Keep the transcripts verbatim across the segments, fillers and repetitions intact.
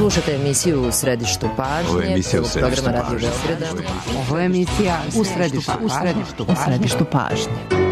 Slušate emisiju U središtu pažnje. Ovo je emisija U središtu programa Radio pažnje. Beograda. Ovo je emisija U središtu U središtu U središtu pažnje.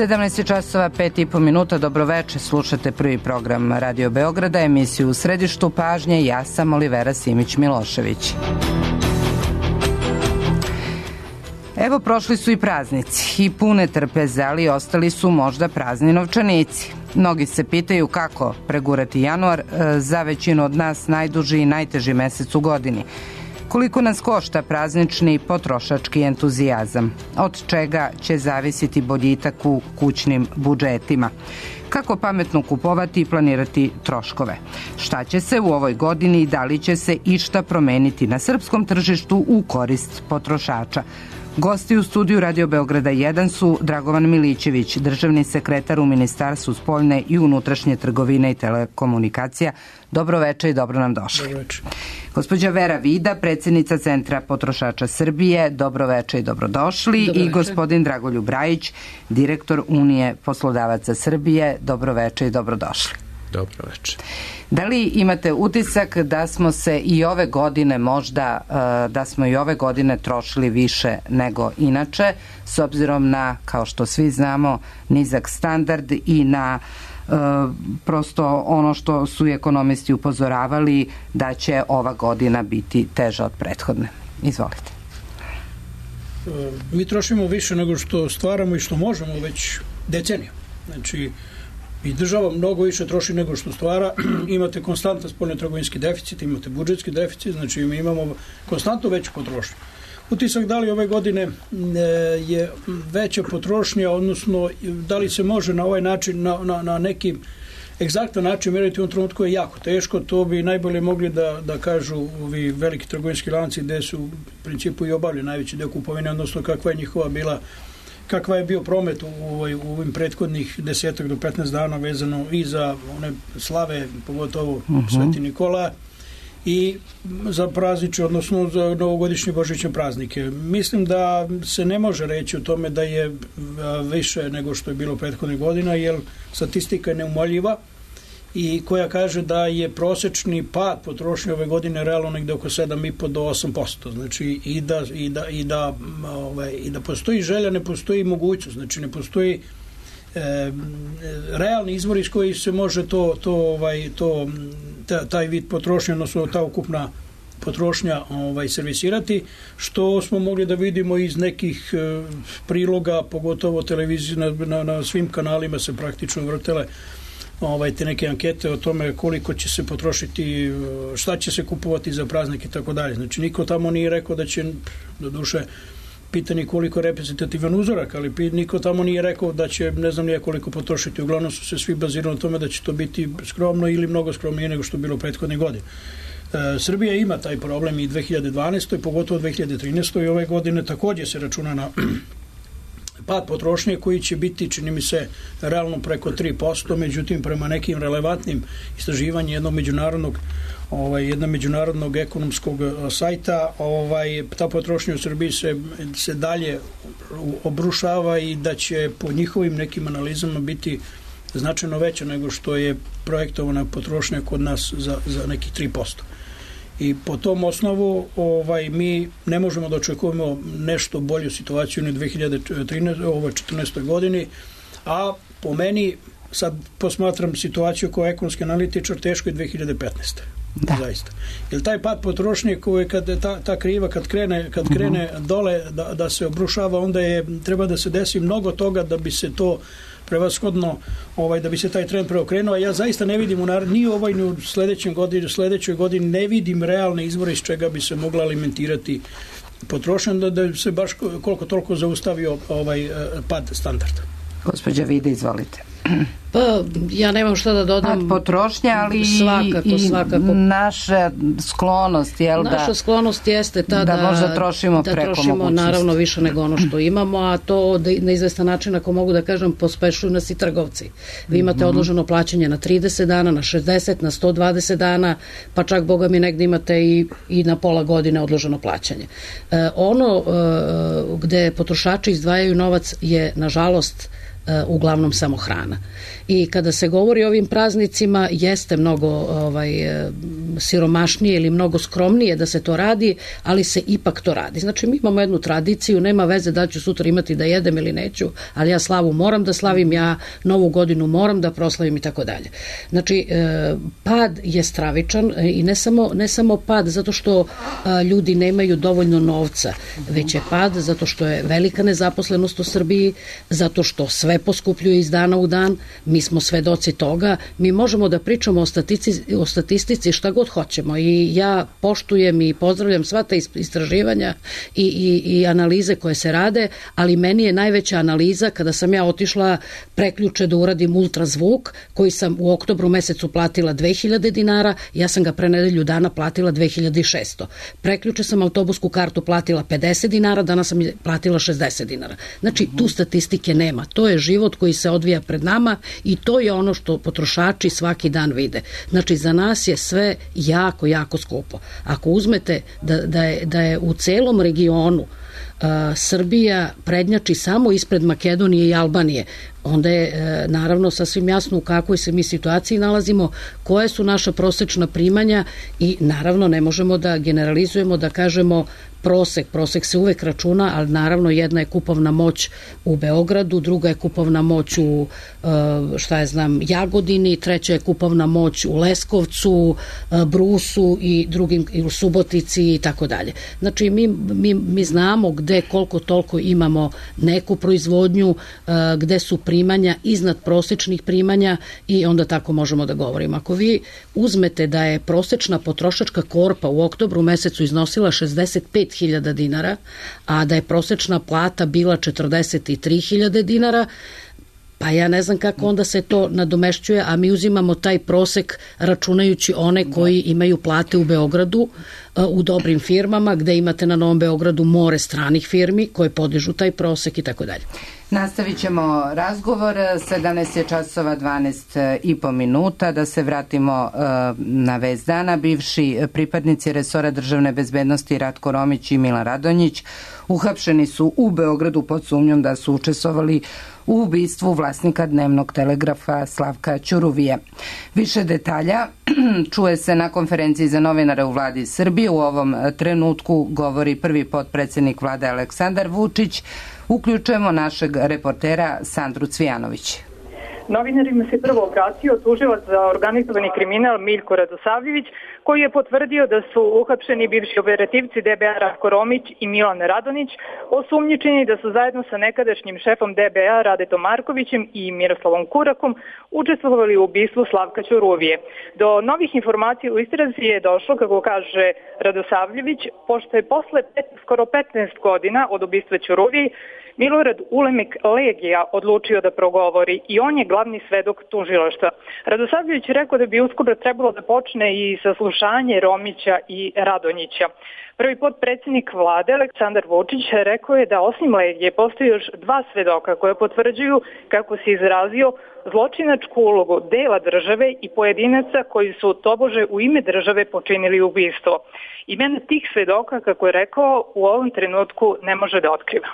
sedamnaest časova pet i po minuta, dobroveče, slušate prvi program Radio Beograda, emisiju U središtu pažnje, ja sam Olivera Simić-Milošević. Evo, prošli su i praznici i pune trpeze, ali ostali su možda prazni novčanici. Mnogi se pitaju kako pregurati januar, za većinu od nas najduži i najteži mesec u godini. Koliko nas košta praznični potrošački entuzijazam? Od čega će zavisiti boljitak u kućnim budžetima? Kako pametno kupovati i planirati troškove? Šta će se u ovoj godini i da li će se išta promeniti na srpskom tržištu u korist potrošača? Gosti u studiju Radio Beograda jedan su Dragovan Milićević, državni sekretar u Ministarstvu spoljne i unutrašnje trgovine i telekomunikacija. Dobro veče i dobro nam došli. Dobro veče. Gospođa Vera Vida, predsjednica Centra potrošača Srbije. Dobro veče i dobrodošli. Dobro I veče. gospodin Dragoljub Rajić, direktor Unije poslodavaca Srbije. Dobro veče i dobrodošli. Dobro veče. Da li imate utisak da smo se i ove godine možda, da smo i ove godine trošili više nego inače, s obzirom na, kao što svi znamo, nizak standard i na prosto ono što su ekonomisti upozoravali da će ova godina biti teža od prethodne? Izvolite. Mi trošimo više nego što stvaramo i što možemo već decenija. Znači, i država mnogo više troši nego što stvara. Imate konstantan spoljnotrgovinski deficit, imate budžetski deficit, znači mi imamo konstantno veću potrošnju. Utisak da li ove godine je veća potrošnja, odnosno da li se može na ovaj način, na, na, na neki egzaktan način mjeriti u ovom trenutku je jako teško. To bi najbolje mogli da, da kažu ovi veliki trgovinski lanci gde su u principu i obavljeni najveći deo kupovine, odnosno kakva je njihova bila, kakva je bio promet u, ovoj, u ovim prethodnih desetak do petnaest dana vezano i za one slave, pogotovo uh-huh. Sveti Nikola, i za prazniče, odnosno za novogodišnje božićne praznike. Mislim da se ne može reći o tome da je više nego što je bilo prethodnih godina, jer statistika je neumoljiva i koja kaže da je prosečni pad potrošnje ove godine realno negde oko sedam i po do osam posto. Znači i da, i da, i da, ovaj, i da postoji želja, ne postoji mogućnost. Znači ne postoji e, realni izvor iz koji se može to, to, ovaj, to ta, taj vid potrošnje, odnosno ta ukupna potrošnja ovaj, servisirati, što smo mogli da vidimo iz nekih e, priloga, pogotovo televizije, na, na, na svim kanalima se praktično vrtele ovaj, te neke ankete o tome koliko će se potrošiti, šta će se kupovati za praznik i tako dalje. Znači niko tamo nije rekao da će, do duše, pitanje koliko reprezentativan uzorak, ali niko tamo nije rekao da će, ne znam nije koliko potrošiti. Uglavnom su se svi bazirali na tome da će to biti skromno ili mnogo skromnije nego što je bilo prethodne godine. E, Srbija ima taj problem i dve hiljade dvanaeste. pogotovo dve hiljade trinaeste. i ove godine također se računa na pad potrošnje koji će biti, čini mi se, realno preko tri posto, međutim prema nekim relevantnim istraživanjima jednog međunarodnog ovaj jednog međunarodnog ekonomskog sajta, ovaj ta potrošnja u Srbiji se se dalje obrušava i da će po njihovim nekim analizama biti značajno veća nego što je projektovana potrošnja kod nas za, za nekih tri posto. I po tom osnovu ovaj, mi ne možemo da očekujemo nešto bolju situaciju ni u dve hiljade četrnaestoj godini, a po meni, sad posmatram situaciju kao ekonomski analitičar, teško je dve hiljade petnaeste. Da. Zaista. Jer taj pad potrošnje koji kad ta, ta kriva kad krene, kad krene uh-huh. dole da, da se obrušava, onda je, treba da se desi mnogo toga da bi se to prevashodno, ovaj, da bi se taj trend preokrenuo, a ja zaista ne vidim u nar- ni u ovoj ni u sledećoj godini, sledećoj godini ne vidim realne izvore iz čega bi se mogla alimentirati potrošnja, da, da se baš koliko toliko zaustavio ovaj pad standarda. Gospođa Vida, izvolite. Pa, ja nemam šta da dodam. Pad potrošnja, ali svakako, i svakako. naša sklonost, jel da? Naša sklonost jeste ta da, da možda trošimo da preko trošimo mogućnosti. Naravno više nego ono što imamo, a to da, na izvestan način, ako mogu da kažem, pospešuju nas i trgovci. Vi imate mm-hmm. odloženo plaćanje na trideset dana, na šezdeset, na sto dvadeset dana, pa čak, boga mi, negde imate i, i na pola godine odloženo plaćanje. E, ono e, gde potrošači izdvajaju novac je, nažalost, uglavnom samo hrana. I kada se govori o ovim praznicima, jeste mnogo ovaj, siromašnije ili mnogo skromnije da se to radi, ali se ipak to radi. Znači, mi imamo jednu tradiciju, nema veze da ću sutra imati da jedem ili neću, ali ja slavu moram da slavim, ja novu godinu moram da proslavim i tako dalje. Znači, pad je stravičan i ne samo, ne samo pad zato što ljudi nemaju dovoljno novca, već je pad zato što je velika nezaposlenost u Srbiji, zato što sve poskupljuje iz dana u dan, mi smo svedoci toga, mi možemo da pričamo o statistici, o statistici šta god hoćemo i ja poštujem i pozdravljam sva ta istraživanja i, i, i analize koje se rade, ali meni je najveća analiza kada sam ja otišla preključe da uradim ultrazvuk, koji sam u oktobru mesecu platila dve hiljade dinara, ja sam ga pre nedelju dana platila dve hiljade šesto. Preključe sam autobusku kartu platila pedeset dinara, danas sam platila šezdeset dinara. Znači, tu statistike nema. To je život koji se odvija pred nama i to je ono što potrošači svaki dan vide. Znači, za nas je sve jako, jako skupo. Ako uzmete da, da, je, da je u celom regionu Uh, Srbija prednjači samo ispred Makedonije i Albanije, onda je e, naravno sasvim jasno u kakvoj se mi situaciji nalazimo, koje su naša prosečna primanja i naravno ne možemo da generalizujemo, da kažemo prosek, prosek se uvek računa, ali naravno jedna je kupovna moć u Beogradu, druga je kupovna moć u e, šta je znam Jagodini, treća je kupovna moć u Leskovcu, e, Brusu i drugim, i u Subotici i tako dalje. Znači mi, mi, mi znamo gde koliko toliko imamo neku proizvodnju, e, gde su primanja iznad prosečnih primanja i onda tako možemo da govorimo. Ako vi uzmete da je prosečna potrošačka korpa u oktobru mesecu iznosila šezdeset pet hiljada dinara, a da je prosečna plata bila četrdeset tri hiljade dinara, pa ja ne znam kako onda se to nadomešćuje, a mi uzimamo taj prosek računajući one koji imaju plate u Beogradu, u dobrim firmama, gde imate na Novom Beogradu more stranih firmi koje podižu taj prosek i tako dalje. Nastavit ćemo razgovor, sedamnaest je časova dvanaest i po minuta, da se vratimo uh, na vest dana. Bivši pripadnici resora državne bezbednosti Ratko Romić i Milan Radonjić uhapšeni su u Beogradu pod sumnjom da su učestvovali u ubistvu vlasnika dnevnog telegrafa Slavka Ćuruvije. Više detalja čuje se na konferenciji za novinare u vladi Srbije. U ovom trenutku govori prvi potpredsednik vlade Aleksandar Vučić. Uključujemo našeg reportera Sandru Cvijanović. Novinarima se prvo obratio tužilac za organizovani kriminal Miljko Radosavljević, koji je potvrdio da su uhapšeni bivši operativci D B A Ratko Romić i Milan Radonjić, osumnjičeni da su zajedno sa nekadašnjim šefom D B A Radetom Markovićem i Miroslavom Kurakom učestvovali u ubistvu Slavka Ćuruvije. Do novih informacija u istrazi je došlo, kako kaže Radosavljević, pošto je posle pet, skoro petnaest godina od ubistva Ćuruvije Milorad Ulemek Legija odlučio da progovori i on je glavni svedok tužilaštva. Radosavljević je rekao da bi uskoro trebalo da počne i saslušanje Romića i Radonjića. Prvi potpredsjednik vlade Aleksandar Vučić rekao je da osim Legije postoji još dva svedoka koje potvrđuju, kako se izrazio, zločinačku ulogu dela države i pojedinaca koji su tobože u ime države počinili ubistvo. Imena tih svedoka, kako je rekao, u ovom trenutku ne može da otkriva.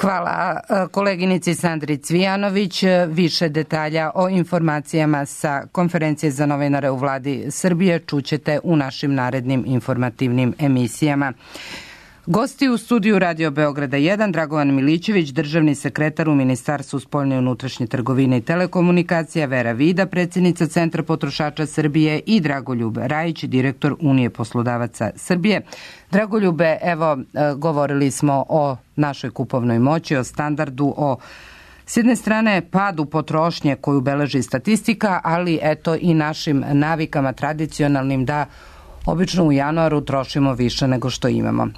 Hvala koleginici Sandri Cvijanović. Više detalja o informacijama sa konferencije za novinare u vladi Srbije čućete u našim narednim informativnim emisijama. Gosti u studiju Radio Beograda jedan, Dragovan Milićević, državni sekretar u Ministarstvu spoljne i unutrašnje trgovine i telekomunikacija, Vera Vida, predsjednica Centra potrošača Srbije i Dragoljub Rajić, direktor Unije poslodavaca Srbije. Dragoljube, evo, govorili smo o našoj kupovnoj moći, o standardu, o s jedne strane padu potrošnje koju beleži statistika, ali eto i našim navikama tradicionalnim da obično u januaru trošimo više nego što imamo.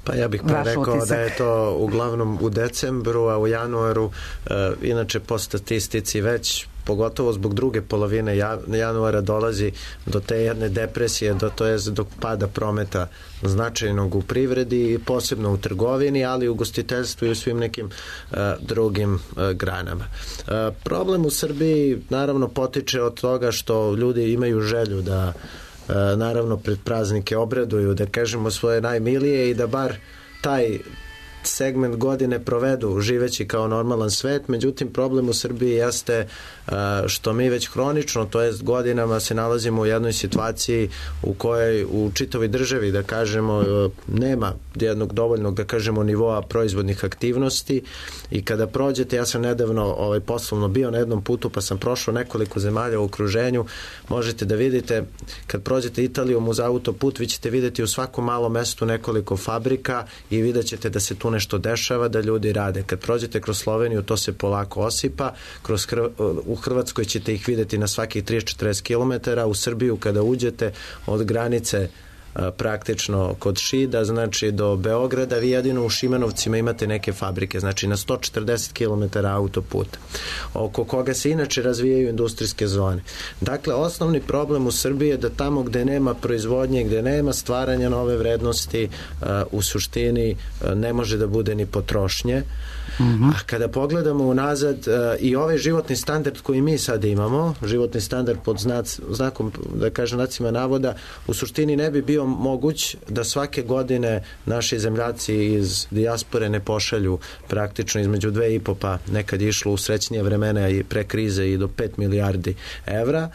Pa ja bih pa rekao da je to uglavnom u decembru, a u januaru e, inače po statistici već pogotovo zbog druge polovine januara dolazi do te jedne depresije, do, to je do pada prometa značajnog u privredi, posebno u trgovini, ali i u ugostiteljstvu i u svim nekim uh, drugim uh, granama. Uh, problem u Srbiji naravno potiče od toga što ljudi imaju želju da uh, naravno pred praznike obraduju, da kažemo svoje najmilije i da bar taj segment godine provedu živeći kao normalan svet. Međutim, problem u Srbiji jeste što mi već hronično, to jest godinama, se nalazimo u jednoj situaciji u kojoj u čitavoj državi, da kažemo, nema jednog dovoljnog, da kažemo, nivoa proizvodnih aktivnosti i kada prođete, ja sam nedavno ovaj, poslovno bio na jednom putu pa sam prošao nekoliko zemalja u okruženju, možete da vidite, kad prođete Italijom uz autoput, vi ćete vidjeti u svakom malom mestu nekoliko fabrika i vidjet ćete da se tu nešto dešava, da ljudi rade. Kad prođete kroz Sloveniju, to se polako osipa, kroz Hrv... u Hrvatskoj ćete ih vidjeti na svakih trideset do četrdeset kilometara, u Srbiju kada uđete od granice praktično kod Šida, znači do Beograda, vi jedino u Šimanovcima imate neke fabrike, znači na sto četrdeset kilometara autoputa, oko koga se inače razvijaju industrijske zone. Dakle, osnovni problem u Srbiji je da tamo gde nema proizvodnje, gde nema stvaranja nove vrednosti, u suštini ne može da bude ni potrošnje. Mm-hmm. A kada pogledamo unazad i ovaj životni standard koji mi sad imamo, životni standard pod znac, znakom, da kažem, znacima navoda, u suštini ne bi bio moguć da svake godine naši zemljaci iz dijaspore ne pošalju praktično između dve i po, pa nekad je išlo u srećnije vremena i pre krize i do pet milijardi evra,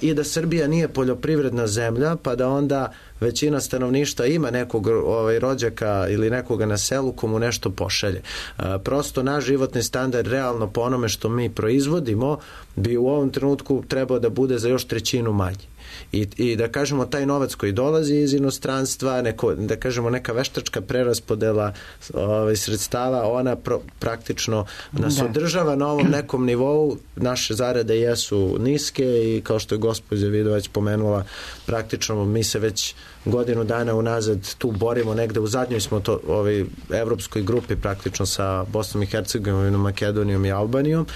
i da Srbija nije poljoprivredna zemlja, pa da onda većina stanovništva ima nekog ovaj, rođaka ili nekoga na selu komu nešto pošalje. E, prosto naš životni standard realno po onome što mi proizvodimo bi u ovom trenutku trebao da bude za još trećinu manji. I, i da kažemo taj novac koji dolazi iz inostranstva, neko, da kažemo neka veštačka preraspodela ovaj, sredstava, ona pro, praktično nas da. održava na ovom nekom nivou. Naše zarade jesu niske i kao što je gospođa Vidovać pomenula, praktično mi se već godinu dana unazad tu borimo, negde u zadnjoj smo to ovaj, evropskoj grupi praktično sa Bosnom i Hercegovinom, Makedonijom i Albanijom,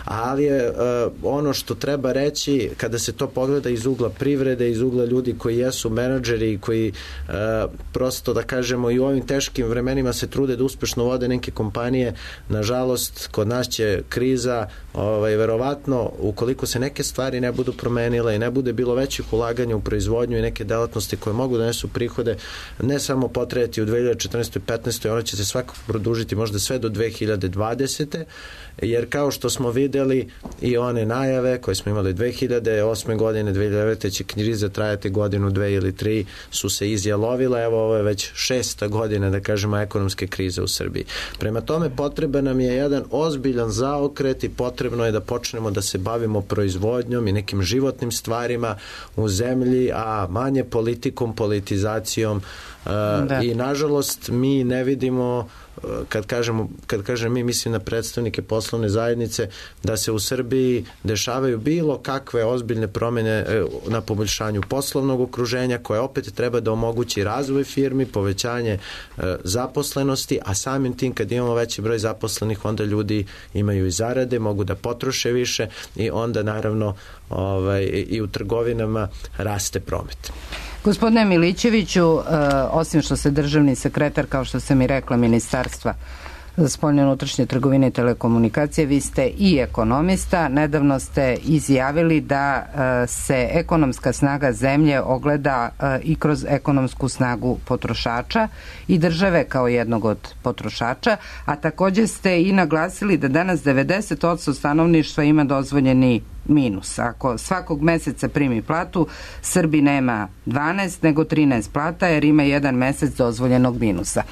ali je uh, ono što treba reći kada se to pogleda iz ugla privrede, iz ugla ljudi koji jesu menadžeri i koji uh, prosto, da kažemo, i u ovim teškim vremenima se trude da uspešno vode neke kompanije, nažalost kod nas će kriza ovaj, verovatno, ukoliko se neke stvari ne budu promenile i ne bude bilo većih ulaganja u proizvodnju i neke delatnosti koje mogu da nesu prihode, ne samo potrajati u dve hiljade četrnaestoj i petnaestoj, ona će se svakako produžiti možda sve do dve hiljade dvadesete jer kao što smo videli i one najave koje smo imali dve hiljade osme godine, dve hiljade devete će kriza trajati godinu, dve ili tri, su se izjalovile, evo ovo je već šesta godina, da kažemo, ekonomske krize u Srbiji. Prema tome potreban nam je jedan ozbiljan zaokret i potrebno je da počnemo da se bavimo proizvodnjom i nekim životnim stvarima u zemlji, a manje politikom, politizacijom uh, i nažalost mi ne vidimo, kad kažemo, kad kažem mi, mislim na predstavnike poslovne zajednice, da se u Srbiji dešavaju bilo kakve ozbiljne promjene na poboljšanju poslovnog okruženja koje opet treba da omogući razvoj firmi, povećanje zaposlenosti, a samim tim kad imamo veći broj zaposlenih, onda ljudi imaju i zarade, mogu da potroše više i onda naravno ovaj, i u trgovinama raste promet. Gospodine Milićeviću, osim što se državni sekretar, kao što sam i rekla, Ministarstva za spoljne unutrašnje trgovine i telekomunikacije. Vi ste i ekonomista. Nedavno ste izjavili da se ekonomska snaga zemlje ogleda i kroz ekonomsku snagu potrošača i države kao jednog od potrošača, a takođe ste i naglasili da danas devedeset posto stanovništva ima dozvoljeni minus. Ako svakog meseca primi platu, Srbi nema dvanaest nego trinaest plata jer ima jedan mesec dozvoljenog minusa.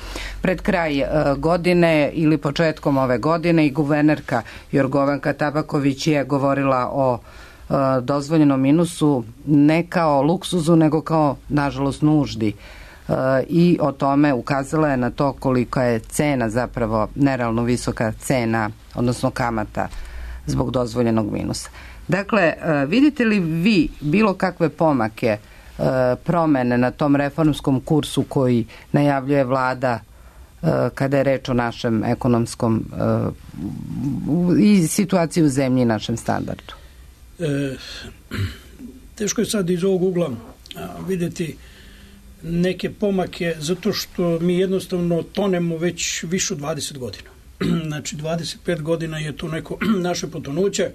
Pred kraj e, godine ili početkom ove godine i guvernerka Jorgovanka Tabaković je govorila o e, dozvoljenom minusu ne kao luksuzu nego kao nažalost nuždi. E, i o tome ukazala je na to kolika je cena, zapravo nerealno visoka cena, odnosno kamata zbog dozvoljenog minusa. Dakle, vidite li vi bilo kakve pomake, promene na tom reformskom kursu koji najavljuje vlada kada je reč o našem ekonomskom i situaciji u zemlji i našem standardu? E, teško je sad iz ovog ugla vidjeti neke pomake zato što mi jednostavno tonemo već više od dvadeset godina. Znači dvadeset pet godina je to neko naše potonuće.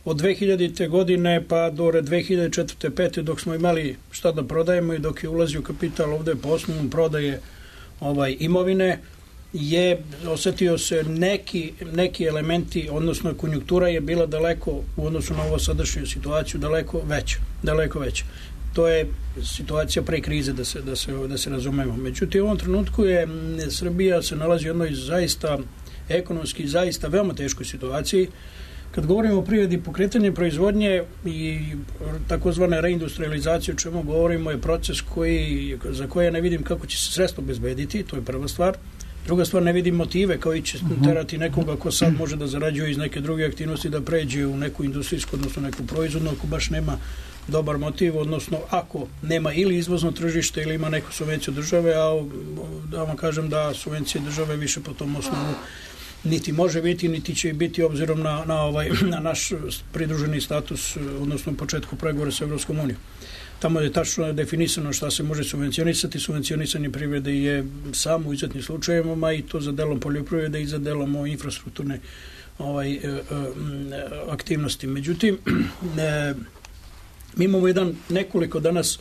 Od dve hiljadite godine pa do dve hiljade četvrte. pete dok smo imali šta da prodajemo i dok je ulazio kapital ovde po osnovom prodaje ovaj, imovine, je osetio se neki, neki elementi, odnosno konjunktura je bila daleko u odnosu na ovo sadašnju situaciju daleko veća, daleko veća. To je situacija pre krize, da se, da se, da se razumemo. Međutim, u ovom trenutku je Srbija se nalazi u jednoj zaista ekonomski, zaista veoma teškoj situaciji. Kad govorimo o privredi, pokretanje proizvodnje i takozvane reindustrializacije, o čemu govorimo, je proces koji, za koje ne vidim kako će se sredstvo bezbediti, to je prva stvar. Druga stvar, ne vidim motive koji će terati nekoga ko sad može da zarađuje iz neke druge aktivnosti da pređe u neku industrijsku, odnosno neku proizvodnu, ako baš nema dobar motiv, odnosno ako nema ili izvozno tržište ili ima neku subvenciju države, a da vam kažem da subvencije države više po tom osnovu niti može biti, niti će biti obzirom na, na, ovaj, na naš pridruženi status, odnosno početku pregovora sa Evropskom unijom. Tamo je tačno definisano šta se može subvencionisati. Subvencionisanje privrede je samo u izuzetnim slučajevima i to za delom poljoprivrede i za delom infrastrukturne ovaj, e, e, aktivnosti. Međutim, e, mi imamo jedan nekoliko danas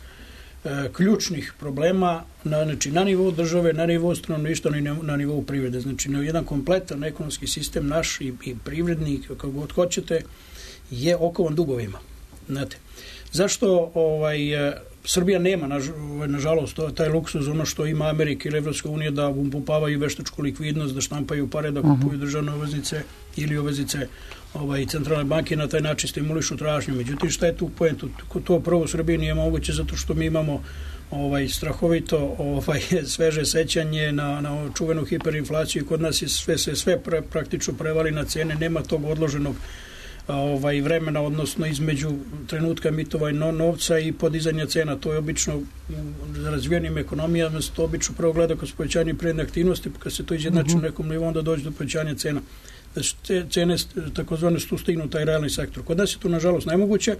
e, ključnih problema na, znači, na nivou države, na nivou stanovništva i na, na nivou privrede. Znači, na jedan kompletan ekonomski sistem naš i, i privredni, kako god hoćete, je okovan dugovima. Znate, zašto ovaj, Srbija nema, na, nažalost, taj luksuz, ono što ima Amerika ili Evropska unija, da upumpavaju veštačku likvidnost, da štampaju pare, da kupuju državne obveznice ili obveznice ovaj, centralne banke, na taj način stimulišu tražnju. Međutim, šta je tu poenta? To prvo u Srbiji nije moguće zato što mi imamo ovaj, strahovito ovaj, sveže sećanje na, na čuvenu hiperinflaciju. Kod nas je sve, sve, sve pra, praktično prevali na cene, nema tog odloženog ovaj vremena, odnosno između trenutka emitovanja novca i podizanja cena. To je obično u razvijenim ekonomijama, se to obično prvo gleda kroz povećanje privredne aktivnosti, pa kad se to izjednači u nekom nivou, onda dođe do povećanja cena. Znači, cene takozvane su stignu taj realni sektor. Kod nas je to nažalost nemoguće.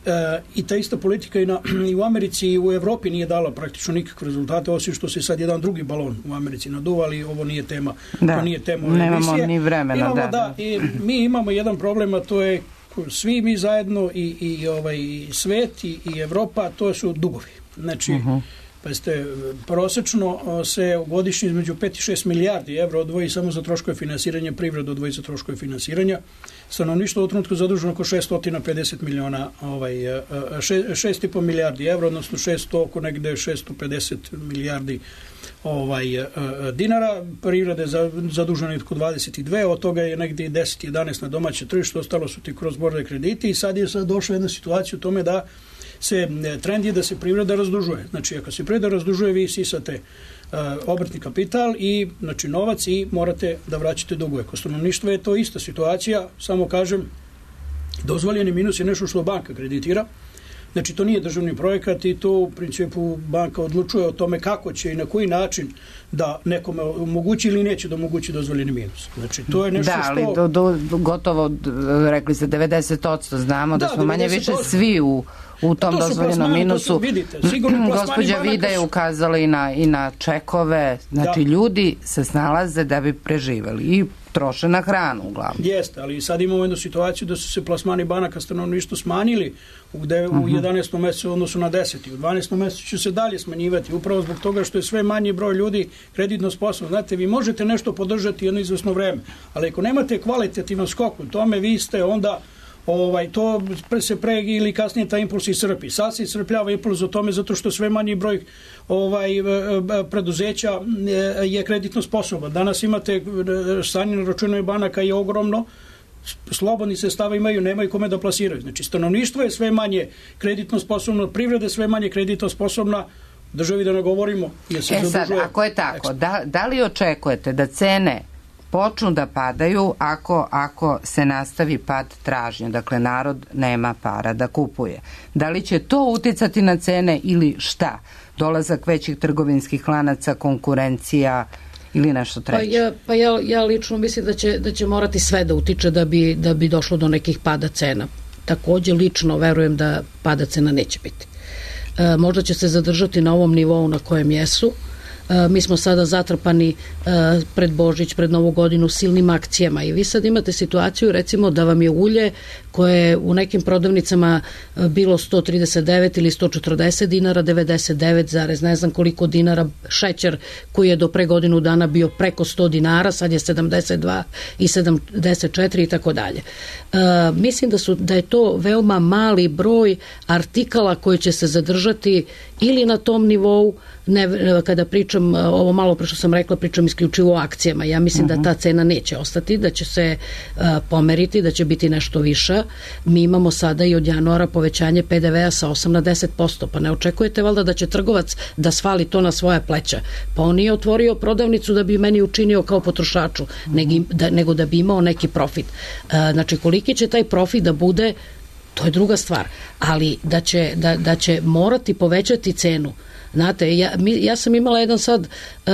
E, i ta ista politika i, na, i u Americi i u Evropi nije dala praktično nikakve rezultate, osim što se sad jedan drugi balon u Americi naduva, ali ovo nije tema. Da, to nije tema nemamo emisije. Ni vremena. Imamo, da, da, da. I mi imamo jedan problem, a to je svi mi zajedno i, i ovaj, svet i, i Evropa, to su dugovi. Znači, uh-huh. pa ste, prosečno se godišnje između pet i šest milijardi evra odvoji samo za troškove finansiranja, privredu odvoji za troškove finansiranja. Stanovništvo u trenutku zaduženo oko šesto pedeset miliona, ovaj, šest i po milijardi evra, odnosno šesto, oko negde šesto pedeset milijardi ovaj, dinara. Privreda je zadužena oko dvadeset dve, od toga je negde deset jedanaest na domaće tržište, ostalo su ti cross border krediti i sad je sad došla jedna situacija u tome da se trend je da se privreda razdužuje. Znači, ako se privreda razdužuje, vi sisate uh, obrtni kapital i znači novac i morate da vraćate dugove. Kod stanovništva je to ista situacija, samo kažem, dozvoljeni minus je nešto što banka kreditira. Znači, to nije državni projekat i to u principu banka odlučuje o tome kako će i na koji način da nekome omogući ili neće da omogući dozvoljeni minus. Znači, to je nešto da, što... Da, ali do, do, gotovo, rekli ste, devedeset posto znamo da, da smo manje više svi u u tom dozvoljenom minusu. Vidite, gospođa Vida je ukazala i na, i na čekove, znači da. Ljudi se snalaze da bi preživeli i troše na hranu uglavnom. Jeste, ali sad imamo jednu situaciju da su se plasmani banaka stanovništvo smanjili gde u jedanaestom mesecu u odnosu na deseti. U dvanaestom mesecu će se dalje smanjivati, upravo zbog toga što je sve manji broj ljudi kreditno sposobno. Znate, vi možete nešto podržati jedno izvesno vreme, ali ako nemate kvalitativan skok u tome, vi ste onda Ovaj, to se pre ili kasnije taj impuls iscrpi. Sad se iscrpljava impuls o tome zato što sve manji broj ovaj, preduzeća je kreditno sposoban. Danas imate stanje na računima banaka je ogromno, slobodni sredstava imaju, nemaju kome da plasiraju. Znači, stanovništvo je sve manje kreditno sposobno, privreda je sve manje kreditno sposobna, državi da ne govorimo. Jer se e sad, ako je tako, da, da li očekujete da cene počnu da padaju ako, ako se nastavi pad tražnje, dakle narod nema para da kupuje. Da li će to uticati na cene ili šta? Dolazak većih trgovinskih lanaca, konkurencija ili nešto treće? Pa ja, pa ja, ja lično mislim da će, da će morati sve da utiče da bi, da bi došlo do nekih pada cena. Takođe lično verujem da pada cena neće biti. E, možda će se zadržati na ovom nivou na kojem jesu. Mi smo sada zatrpani pred Božić, pred Novu godinu silnim akcijama i vi sad imate situaciju recimo da vam je ulje koje je u nekim prodavnicama bilo sto trideset devet ili sto četrdeset dinara, devedeset devet zarez ne znam koliko dinara, šećer koji je do pre godinu dana bio preko sto dinara, sad je sedamdeset dva i sedamdeset četiri i tako dalje. Mislim da, su, da je to veoma mali broj artikala koji će se zadržati ili na tom nivou, ne, kada pričam, ovo malo pre što sam rekla, pričam isključivo o akcijama. Ja mislim uh-huh. da ta cena neće ostati, da će se uh, pomeriti, da će biti nešto viša. Mi imamo sada i od januara povećanje pe de vea sa osam na deset posto, pa ne očekujete valjda da će trgovac da svali to na svoja pleća. Pa on nije otvorio prodavnicu da bi meni učinio kao potrošaču, uh-huh. nego, da, nego da bi imao neki profit. Uh, znači, koliki će taj profit da bude, to je druga stvar, ali da će, da, da će morati povećati cenu. Znate, ja, mi, ja sam imala jedan sad uh,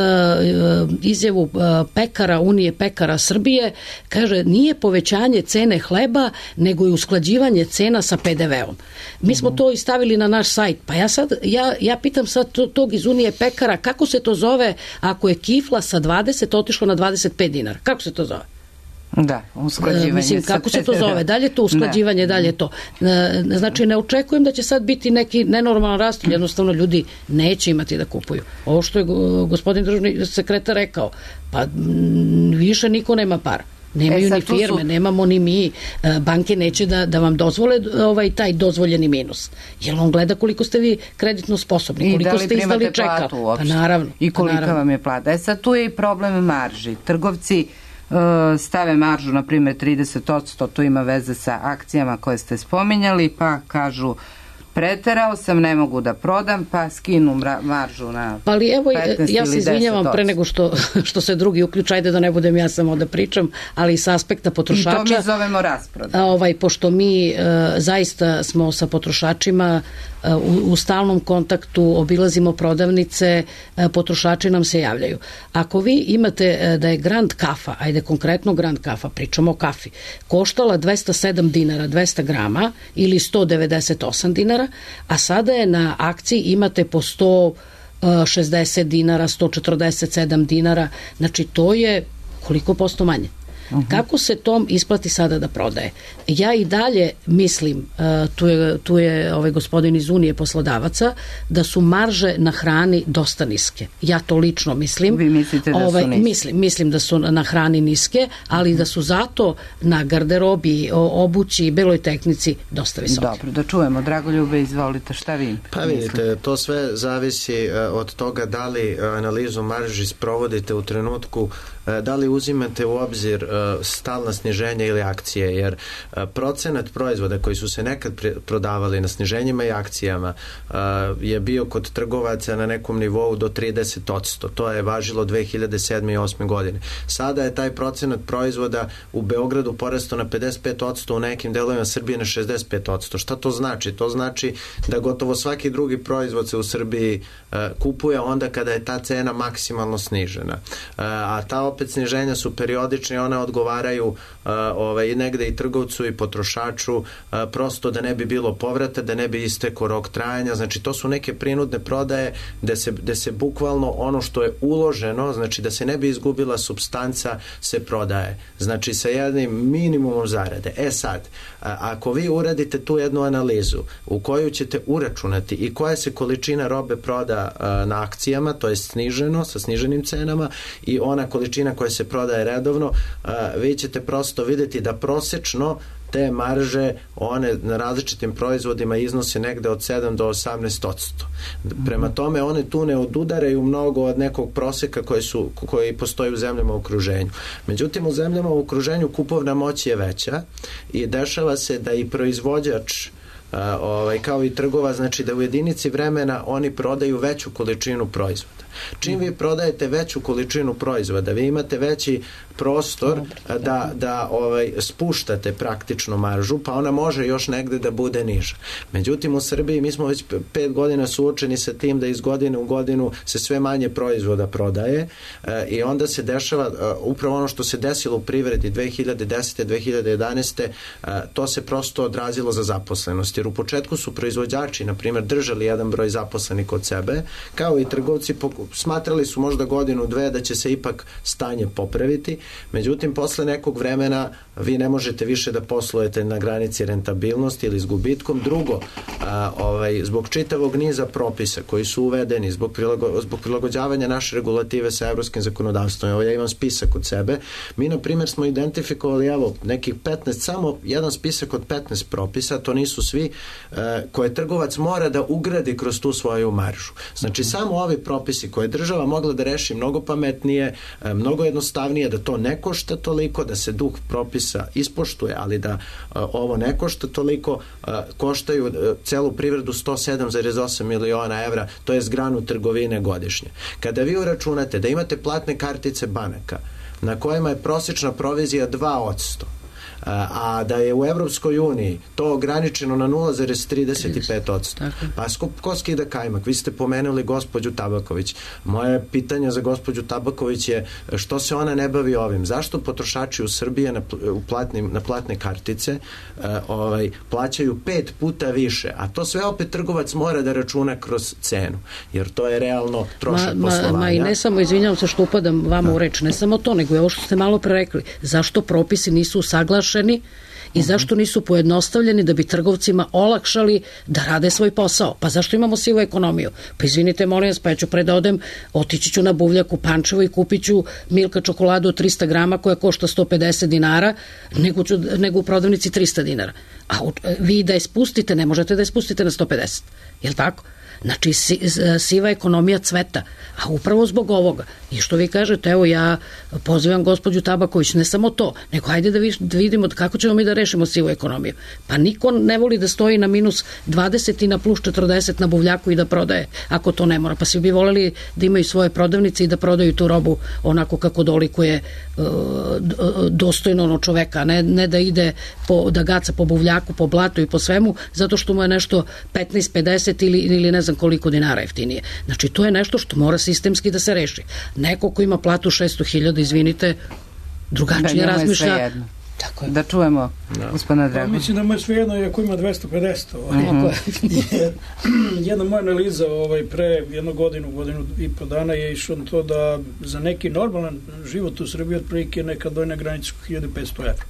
izjavu uh, pekara, Unije pekara Srbije, kaže, nije povećanje cene hleba, nego je usklađivanje cena sa pe de veom. Mi smo to i stavili na naš sajt, pa ja sad, ja, ja pitam sad tog iz Unije pekara, kako se to zove ako je kifla sa dvadeset otišla na dvadeset pet dinara? Kako se to zove? Da, usklađivanje. Mislim, kako se to zove? Dalje to usklađivanje, da. dalje to. Znači, ne očekujem da će sad biti neki nenormalan rast, jednostavno ljudi neće imati da kupuju. Ovo što je gospodin državni sekretar rekao, pa više niko nema para. Nemaju e, ni firme, su... nemamo ni mi, banke neće da, da vam dozvole ovaj, taj dozvoljeni minus. Jer on gleda koliko ste vi kreditno sposobni, koliko ste izdali čeka. Pa naravno. I kolika pa naravno. vam je plata. E sad tu je i problem marži. Trgovci stave maržu, na primjer trideset posto, to ima veze sa akcijama koje ste spominjali, pa kažu preterao sam, ne mogu da prodam, pa skinu maržu na pa ali evo, ja se izvinjavam pre nego što, što se drugi uključa, ajde da ne budem ja samo da pričam, ali sa aspekta potrošača. I to mi zovemo rasproda. Ovaj, pošto mi uh, zaista smo sa potrošačima uh, u, u stalnom kontaktu, obilazimo prodavnice, uh, potrošači nam se javljaju. Ako vi imate uh, da je Grand Kafa, ajde konkretno Grand Kafa, pričamo o kafi, koštala dvesta sedam dinara, dvesta grama ili sto devedeset osam dinara, a sada je na akciji imate po sto šezdeset dinara, sto četrdeset sedam dinara, znači to je koliko posto manje. Uh-huh. Kako se tom isplati sada da prodaje? Ja i dalje mislim, uh, tu je, tu je ovaj gospodin iz Unije poslodavaca, da su marže na hrani dosta niske. Ja to lično mislim. Vi mislite da ovaj, su niske? Mislim, mislim da su na hrani niske, ali uh-huh. da su zato na garderobi, obući i beloj tehnici dosta visoke. Dobro, da čujemo. Dragoljube, izvolite, šta vi Pa vidite, mislite? To sve zavisi uh, od toga da li uh, analizu marži sprovodite u trenutku, uh, da li uzimate u obzir uh, stalna sniženja ili akcije, jer uh, procenat proizvoda koji su se nekad prodavali na sniženjima i akcijama uh, je bio kod trgovaca na nekom nivou do trideset posto. To je važilo dve hiljade sedme i osme godine. Sada je taj procenat proizvoda u Beogradu porastao na pedeset pet posto, u nekim delovima Srbije na šezdeset pet posto. Šta to znači? To znači da gotovo svaki drugi proizvod se u Srbiji uh, kupuje onda kada je ta cena maksimalno snižena. Uh, a ta opet sniženja su periodične, ona odgovaraju ovaj, negde i trgovcu i potrošaču, prosto da ne bi bilo povrata, da ne bi istekao rok trajanja. Znači to su neke prinudne prodaje gde se, gde se bukvalno ono što je uloženo, znači da se ne bi izgubila supstanca, se prodaje. Znači sa jednim minimumom zarade. E sad, ako vi uradite tu jednu analizu u koju ćete uračunati i koja se količina robe proda na akcijama, to je sniženo, sa sniženim cenama, i ona količina koja se prodaje redovno, vi ćete prosto vidjeti da prosečno te marže, one na različitim proizvodima iznose negde od sedam do osamnaest odsto. Prema tome, one tu ne odudaraju mnogo od nekog proseka koji, su, koji postoji u zemljama u okruženju. Međutim, u zemljama u okruženju kupovna moć je veća i dešava se da i proizvođač Uh, ovaj, kao i trgova, znači da u jedinici vremena oni prodaju veću količinu proizvoda. Čim vi prodajete veću količinu proizvoda, vi imate veći prostor da, da ovaj, spuštate praktično maržu, pa ona može još negde da bude niža. Međutim, u Srbiji mi smo već pet godina suočeni sa tim da iz godine u godinu se sve manje proizvoda prodaje e, i onda se dešava e, upravo ono što se desilo u privredi dve hiljade desete do dve hiljade jedanaeste. E, to se prosto odrazilo za zaposlenost, jer u početku su proizvođači, na primjer, držali jedan broj zaposlenih kod sebe, kao i trgovci smatrali su možda godinu, dve da će se ipak stanje popraviti. Međutim, posle nekog vremena vi ne možete više da poslujete na granici rentabilnosti ili s gubitkom. Drugo, a, ovaj, zbog čitavog niza propisa koji su uvedeni, zbog, prilago, zbog prilagođavanja naše regulative sa evropskim zakonodavstvom, evo ja imam spisak od sebe, mi na primjer smo identifikovali evo nekih petnaest, samo jedan spisak od petnaest propisa, to nisu svi, a, koje trgovac mora da ugradi kroz tu svoju maržu. Znači, samo ovi propisi koje država mogla da reši mnogo pametnije, a, mnogo jednostavnije, da to ne košta toliko, da se duh propisa ispoštuje, ali da a, ovo ne košta toliko, a, koštaju a, celu privredu sto sedam zarez osam miliona evra, to je zgranu trgovine godišnje. Kada vi uračunate da imate platne kartice banaka na kojima je prosječna provizija dva odsto, a da je u Evropskoj uniji to ograničeno na nula zarez trideset pet odsto. Pa ko skida kajmak? Vi ste pomenuli gospođu Tabaković. Moje pitanje za gospođu Tabaković je što se ona ne bavi ovim? Zašto potrošači u Srbiji na, u platnim, na platne kartice uh, ovaj, plaćaju pet puta više, a to sve opet trgovac mora da računa kroz cenu, jer to je realno trošak ma, poslovanja. Ma, ma i ne samo, izvinjavam se što upadam vama u reč, ne samo to, nego je ovo što ste malo pre rekli. Zašto propisi nisu usaglašeni i zašto nisu pojednostavljeni da bi trgovcima olakšali da rade svoj posao? Pa zašto imamo sivu ekonomiju? Pa izvinite, molim vas, pa ja ću pre da odem, otići ću na Buvljak u Pančevo i kupit ću Milka čokoladu od trista grama koja košta sto pedeset dinara, nego, ću, nego u prodavnici trista dinara. A vi da je spustite, ne možete da je spustite na sto pedeset. Je li tako? Znači, si, siva ekonomija cveta, a upravo zbog ovoga. I što vi kažete, evo ja pozivam gospođu Tabaković, ne samo to, nego hajde da, vi, da vidimo kako ćemo mi da rešimo sivu ekonomiju. Pa niko ne voli da stoji na minus dvadeset i na plus četrdeset na Buvljaku i da prodaje, ako to ne mora. Pa svi bi voleli da imaju svoje prodavnice i da prodaju tu robu onako kako dolikuje uh, dostojno ono čoveka, ne, ne da ide po, da gaca po Buvljaku, po blatu i po svemu, zato što mu je nešto petnaest pedeset ili, ili ne znam koliko dinara jeftinije. Znači, to je nešto što mora sistemski da se reši. Neko ko ima platu šesto hiljada, izvinite, drugačije da, razmišlja. Tako je. Da čujemo, no. Gospodina Dragan. Pa, mislim da mu je svejedno ako ima dvesta pedeset. Ovaj. Mm-hmm. Jedna moja analiza ovaj, pre jednu godinu, godinu i po dana je išlo to da za neki normalan život u Srbiji otprilike neka dojna granica hiljadu petsto evra.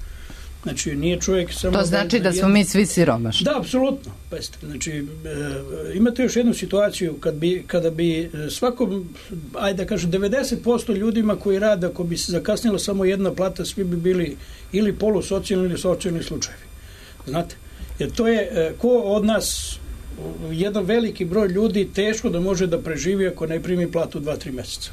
Znači, nije čovjek samo... To znači da, da smo mi svi siromašni. Da, apsolutno. Znači, e, imate još jednu situaciju kad bi, kada bi svakom, ajde da kažem, devedeset posto ljudima koji rade, ako bi se zakasnila samo jedna plata, svi bi bili ili polusocijalni ili socijalni slučajevi. Znate? Jer to je, e, ko od nas, jedan veliki broj ljudi teško da može da preživi ako ne primi platu dva tri meseca.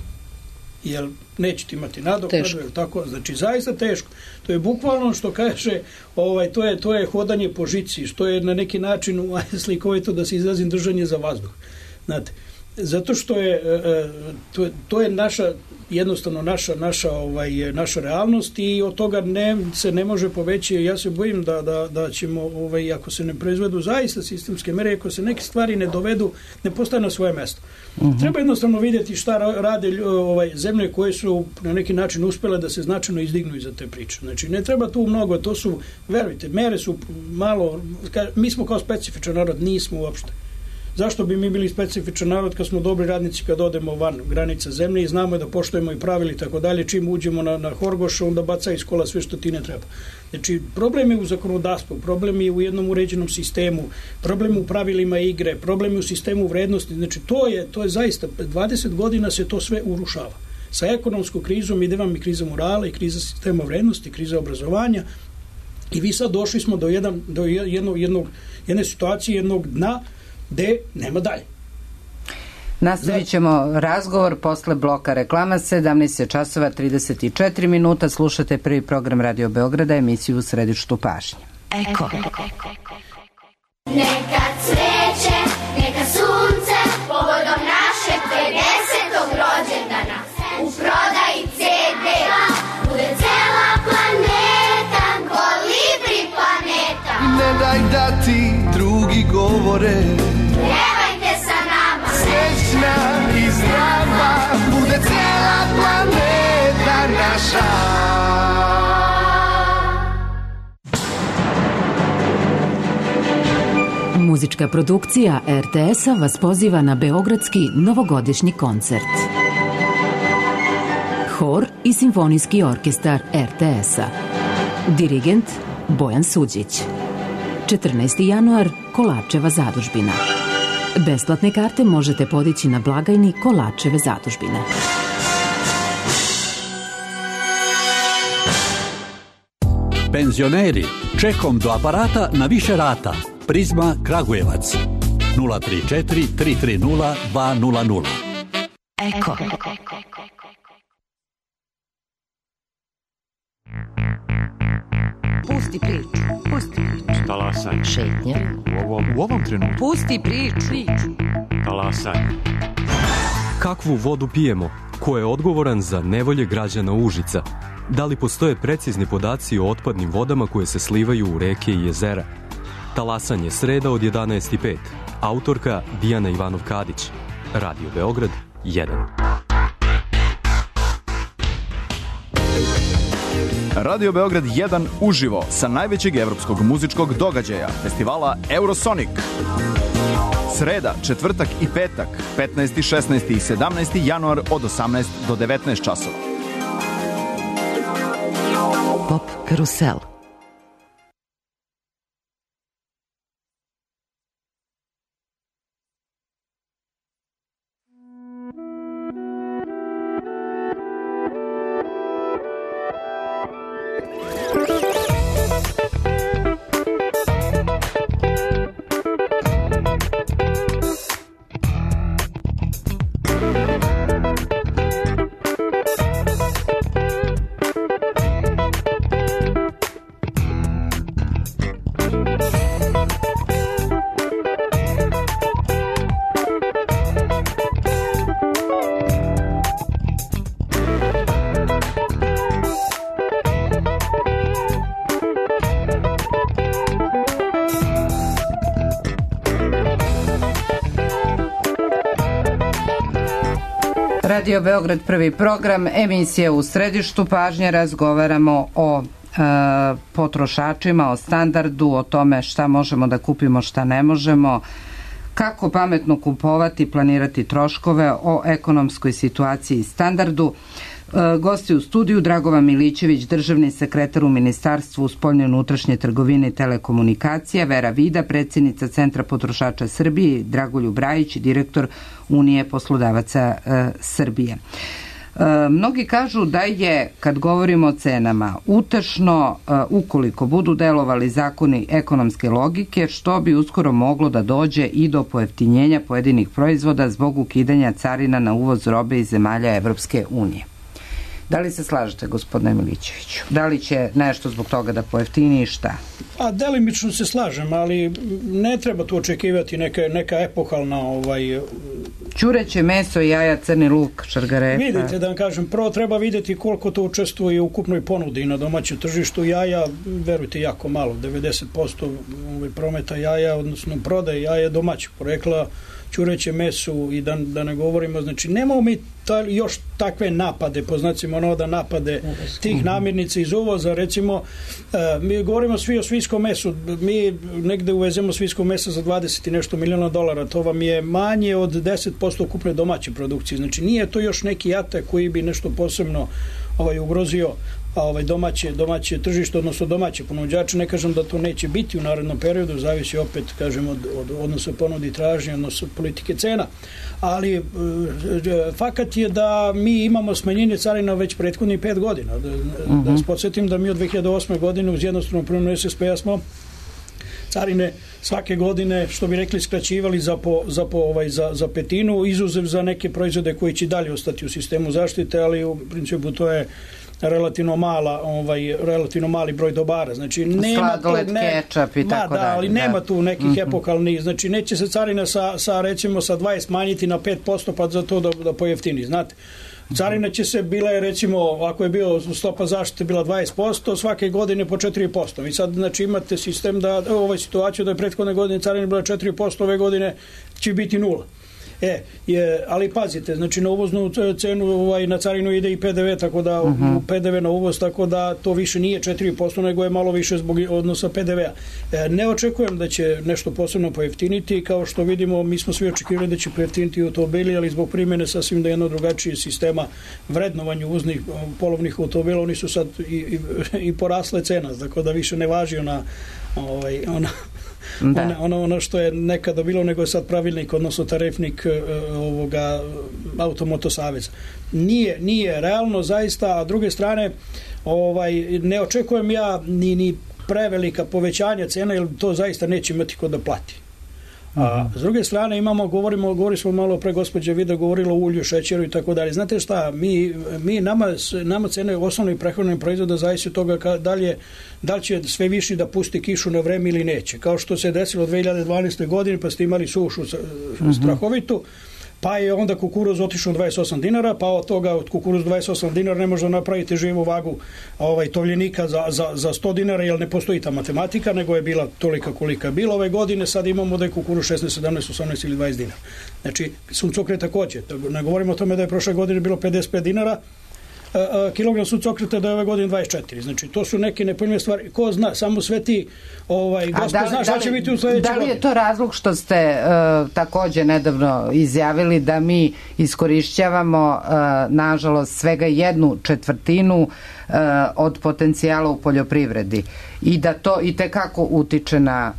Jer nećete imati nadoknadu, je tako? Znači, zaista teško. To je bukvalno što kaže, ovaj, to je, to je hodanje po žici, što je na neki način slikovito da se izrazim držanje za vazduh. Znate, Zato što je to, to je naša jednostavno naša naša ovaj naša realnost i od toga ne se ne može pobeći. Ja se bojim da da da ćemo ovaj ako se ne proizvedu zaista sistemske mere, ako se neke stvari ne dovedu, ne postave na svoje mesto. Uh-huh. Treba jednostavno vidjeti šta rade ovaj zemlje koje su na neki način uspele da se značajno izdignu iza te priče. Znači ne treba tu mnogo, to su, verujte, mere su malo, mi smo kao specifičan narod, nismo uopšte. Zašto bi mi bili specifičan narod kad smo dobri radnici kad odemo van granica zemlje i znamo da poštujemo i pravila i tako dalje, čim uđemo na, na Horgoš, onda baca iz kola sve što ti ne treba. Znači, problem je u zakonodavstvu, problem je u jednom uređenom sistemu, problem u pravilima igre, problem je u sistemu vrednosti, znači to je, to je zaista, dvadeset godina se to sve urušava. Sa ekonomskom krizom ide vam i kriza morala i kriza sistema vrednosti, kriza obrazovanja i vi sad došli smo do, jedan, do jednog, jednog, jedne situacije, jednog dna gde nema dalje. Nastavit ćemo razgovor posle bloka reklama. Sedamnaest časova trideset četiri minuta. Slušate prvi program Radio Beograda, emisiju U središtu pažnje. Eko. Neka cveće, neka sunce, povodom našeg pedesetog rođendana. U prodaji ce de bude cela planeta, kolibri planeta. Ne daj da ti drugi govore, pjevajte sa nama. Srećna i zdrava bude cijela planeta naša. Muzička produkcija er te es-a vas poziva na beogradski novogodišnji koncert. Hor i simfonijski orkestar er te es-a. Dirigent Bojan Suđić. četrnaesti januar, Kolačeva zadužbina. Besplatne karte možete podići na blagajni Kolačeve zadužbine. Penzioneri, čekom do aparata na više rata. Prizma Kragujevac. nula tri četiri tri tri nula dva nula nula. Eko. Pusti priču, pusti priču. Talasaj. Šetnja. U ovom, u ovom trenutku. Pusti priču. Talasaj. Kakvu vodu pijemo? Ko je odgovoran za nevolje građana Užica? Da li postoje precizni podaci o otpadnim vodama koje se slivaju u reke i jezera? Talasanje sreda od jedanaest i pet. Autorka Dijana Ivanov-Kadić. Radio Beograd jedan. Radio Beograd jedan uživo sa najvećeg evropskog muzičkog događaja, festivala Eurosonic. Sreda, četvrtak i petak, petnaesti, šesnaesti i sedamnaesti januar od osamnaest do devetnaest časova. Pop karusel. Radio Beograd prvi program, emisija U središtu pažnje, razgovaramo o e, potrošačima, o standardu, o tome šta možemo da kupimo, šta ne možemo, kako pametno kupovati, planirati troškove, o ekonomskoj situaciji i standardu. E, gosti u studiju Dragovan Milićević, državni sekretar u Ministarstvu spoljne i unutrašnje trgovine i telekomunikacija, Vera Vida, predsjednica Centra potrošača Srbije, Dragoljub Brajić, direktor Unije poslodavaca e, Srbije. E, mnogi kažu da je, kad govorimo o cenama, utešno e, ukoliko budu delovali zakoni ekonomske logike, što bi uskoro moglo da dođe i do pojeftinjenja pojedinih proizvoda zbog ukidanja carina na uvoz robe iz zemalja Evropske unije. Da li se slažete, gospodine Milićeviću? Da li će nešto zbog toga da pojeftini i šta? A delimično se slažem, ali ne treba tu očekivati neka, neka epohalna ovaj, ćureće meso, jaja, crni luk, šargarepa. Vidite, da vam kažem, prvo treba vidjeti koliko to učestvuje u ukupnoj ponudi na domaćem tržištu. Jaja, verujte, jako malo, devedeset posto prometa jaja, odnosno prodaje jaja domaćeg porekla, ćureće mesu i da, da ne govorimo, znači nemamo mi ta, još takve napade, po znacima onoga napade tih namirnica iz uvoza, recimo uh, mi govorimo svi o svinjskom mesu, mi negde uvezemo svinjsko meso za dvadeset i nešto miliona dolara, to vam je manje od deset posto ukupne domaće produkcije, znači nije to još neki atak koji bi nešto posebno ovaj, ugrozio ovaj domaće, domaće tržište, odnosno domaće ponuđače. Ne kažem da to neće biti u narednom periodu, zavisi opet, kažem, od, od odnosa ponudi i tražnje, odnosno politike cena. Ali e, fakat je da mi imamo smanjenje carina već prethodnih pet godina. Da, uh-huh. da vas podsjetim da mi od dve hiljade osme godine uz jednostavno promjenu S S P-a smo carine svake godine, što bi rekli, skraćivali za, po, za, po, ovaj, za, za petinu, izuzev za neke proizvode koji će dalje ostati u sistemu zaštite, ali u principu to je relativno mala, ovaj relativno mali broj dobara. Znači nema sladoled, tu ne, kečap i tako da, dalje. ali da. nema tu nekih mm-hmm. epokalnih, znači neće se carina sa, sa recimo sa dvadeset smanjiti na pet posto pa za to da, da pojeftini, znate. Carina će se, bila je recimo, ako je bio stopa zaštite bila dvadeset posto, svake godine po četiri posto. I sad, znači, imate sistem da, ovaj situaciju da je prethodne godine carina bila četiri posto, ove godine će biti nula. E, je, ali pazite, znači na uvoznu cenu, ovaj, na carinu ide i P D V, tako da uh-huh. P D V na uvoz, tako da to više nije četiri posto, nego je malo više zbog odnosa P D V-a. E, ne očekujem da će nešto posebno pojeftiniti, kao što vidimo, mi smo svi očekivali da će pojeftiniti automobili, ali zbog primjene sasvim da jedno drugačije sistema vrednovanja uvoznih polovnih automobila, oni su sad i, i, i porasle cena, tako da više ne važi ona, ovaj, ona Da. Ono, ono što je nekada bilo, nego je sad pravilnik, odnosno tarifnik ovoga Automoto saveza. Nije, nije realno zaista, a druge strane ovaj, ne očekujem ja ni, ni prevelika povećanja cena, jer to zaista neće imati ko da plati. A s druge strane imamo, govorimo, govorili smo malo pre gospođe Vida, govorilo o ulju, šećeru i tako dalje. Znate šta, mi, mi nama, nama cene osnovnih prehrambenih proizvoda zavisi od toga ka, da, li je, da li će sve više da pusti kišu na vreme ili neće. Kao što se desilo dve hiljade dvanaeste. godine, pa ste imali sušu strahovitu, pa je onda kukuruz otišao dvadeset osam dinara, pa od toga od kukuruz dvadeset osam dinara ne može napraviti živu vagu ovaj, tovljenika za, za, za sto dinara, jer ne postoji ta matematika, nego je bila tolika kolika je bila ove godine, sad imamo da je kukuruz šesnaest, sedamnaest, osamnaest ili dvadeset dinara. Znači, suncokret takođe. Ne govorimo o tome da je prošle godine bilo pedeset pet dinara, kilogram suncokreta da je ove godine dvadeset četiri. Znači, to su neke nepojmljive stvari. Ko zna, samo sve ti ovaj, gospod da, zna šta će biti u sledećoj godini. Da li je to razlog što ste uh, takođe nedavno izjavili da mi iskorišćavamo uh, nažalost svega jednu četvrtinu uh, od potencijala u poljoprivredi i da to i tekako utiče na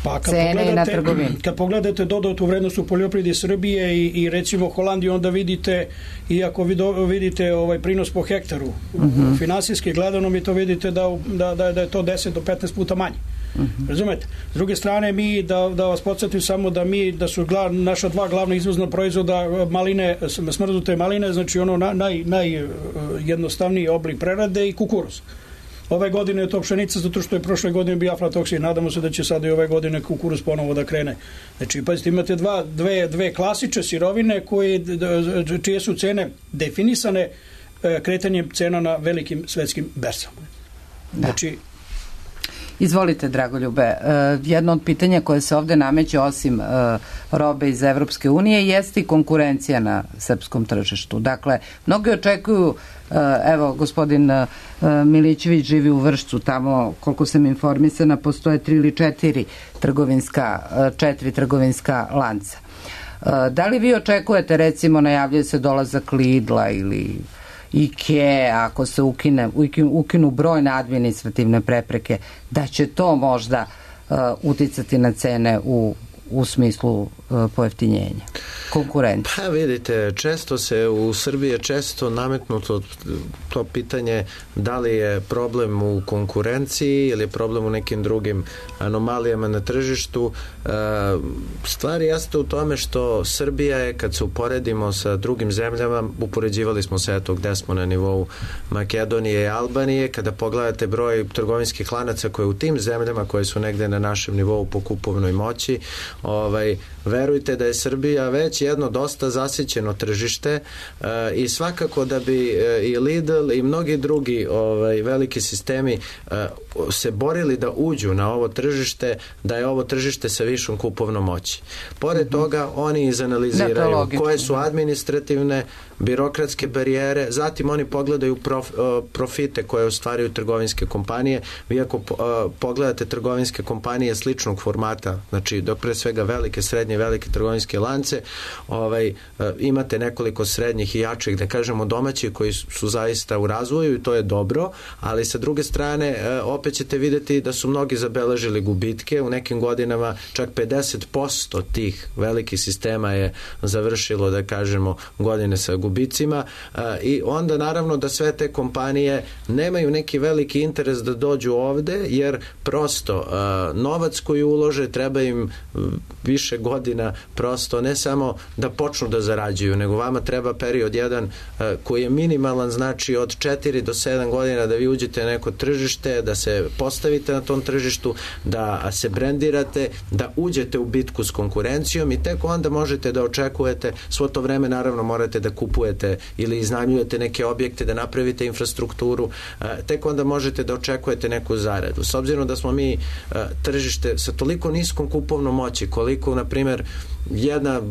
pa cene i na trgovinu? Kad pogledate dodatu vrednost u poljoprivredi Srbije i, i recimo Holandiju, onda vidite, iako vidite ovaj prinos po hektaru, uh-huh. finansijski gledano mi to vidite da, da, da, da je to deset do petnaest puta manje. Uh-huh. Razumete? S druge strane, mi, da, da vas podsjetim samo da mi, da su glav, naša dva glavna izvozna proizvoda maline, smrznute maline, znači ono naj, najjednostavniji oblik prerade i kukuruz. Ove godine je to pšenica, zato što je prošle godine bio aflatoksin. Nadamo se da će sada i ove godine kukuruz ponovo da krene. Znači, pazite, imate dva, dve, dve klasične sirovine koje, čije su cene definisane kretanjem cena na velikim svetskim berzama. Znači, Izvolite, Dragoljube. Jedno od pitanja koje se ovde nameće osim robe iz Evropske unije jeste i konkurencija na srpskom tržištu. Dakle, mnogi očekuju, evo, gospodin Milićević živi u Vršcu, tamo, koliko sam informisana, postoje tri ili četiri trgovinska, četiri trgovinska lanca. Da li vi očekujete, recimo, najavljaju se dolazak Lidla ili IKEA, ako se ukine, ukinu brojne administrativne prepreke, da će to možda uh, uticati na cene u, u smislu uh, pojeftinjenja, konkurencije? Pa vidite, često se u Srbiji je često nametnuto to pitanje da li je problem u konkurenciji ili je problem u nekim drugim anomalijama na tržištu. Uh, stvar jeste u tome što Srbija je, kad se uporedimo sa drugim zemljama, upoređivali smo se eto gde smo na nivou Makedonije i Albanije, kada pogledate broj trgovinskih lanaca koje u tim zemljama koje su negde na našem nivou po kupovnoj moći, ovaj, verujte da je Srbija već jedno dosta zasićeno tržište uh, i svakako da bi uh, i Lidl i mnogi drugi ovaj, veliki sistemi uh, se borili da uđu na ovo tržište, da je ovo tržište sa višom kupovnom moći. Pored toga oni izanaliziraju koje su administrativne, birokratske barijere, zatim oni pogledaju prof, profite koje ostvaruju trgovinske kompanije. Vi ako pogledate trgovinske kompanije sličnog formata, znači dok pre svega velike, srednje, velike trgovinske lance, ovaj, imate nekoliko srednjih i jačih, da kažemo domaćih, koji su zaista u razvoju i to je dobro, ali sa druge strane opet ćete vidjeti da su mnogi zabeležili gubitke, u nekim godinama čak pedeset posto tih velikih sistema je završilo, da kažemo, godine sa gubicima i onda naravno da sve te kompanije nemaju neki veliki interes da dođu ovde, jer prosto novac koji ulože treba im više godina, prosto ne samo da počnu da zarađuju, nego vama treba period jedan koji je minimalan, znači od četiri do sedam godina da vi uđete na neko tržište, da se postavite na tom tržištu, da se brendirate, da uđete u bitku s konkurencijom i tek onda možete da očekujete, svo to vreme naravno morate da kupujete ili iznajmljujete neke objekte, da napravite infrastrukturu, tek onda možete da očekujete neku zaradu. S obzirom da smo mi tržište sa toliko niskom kupovnom moći, koliko, na primjer, jedna,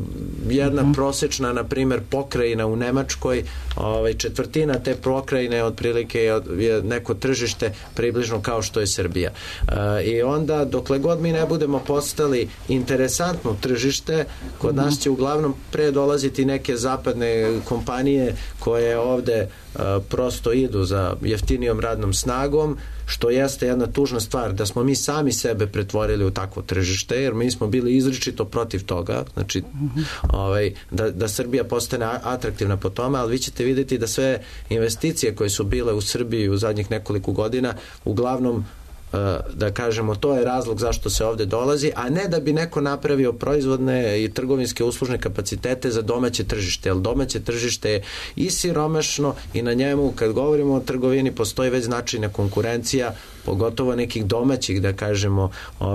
jedna mm-hmm. prosečna, na primjer, pokrajina u Nemačkoj, ovaj, četvrtina te pokrajine otprilike je, je neko tržište približno kao što je Srbija. E, I onda, dokle god mi ne budemo postali interesantno tržište, kod mm-hmm. nas će uglavnom pre dolaziti neke zapadne kompanije koje ovde uh, prosto idu za jeftinijom radnom snagom, što jeste jedna tužna stvar, da smo mi sami sebe pretvorili u takvo tržište, jer mi smo bili izričito protiv toga, znači mm-hmm. ovaj, da, da Srbija postane atraktivna po tome, ali vi ćete vidjeti da sve investicije koje su bile u Srbiji u zadnjih nekoliko godina, uglavnom da kažemo, to je razlog zašto se ovde dolazi, a ne da bi neko napravio proizvodne i trgovinske uslužne kapacitete za domaće tržište, jer domaće tržište je i siromašno i na njemu, kad govorimo o trgovini, postoji već značajna konkurencija, pogotovo nekih domaćih, da kažemo,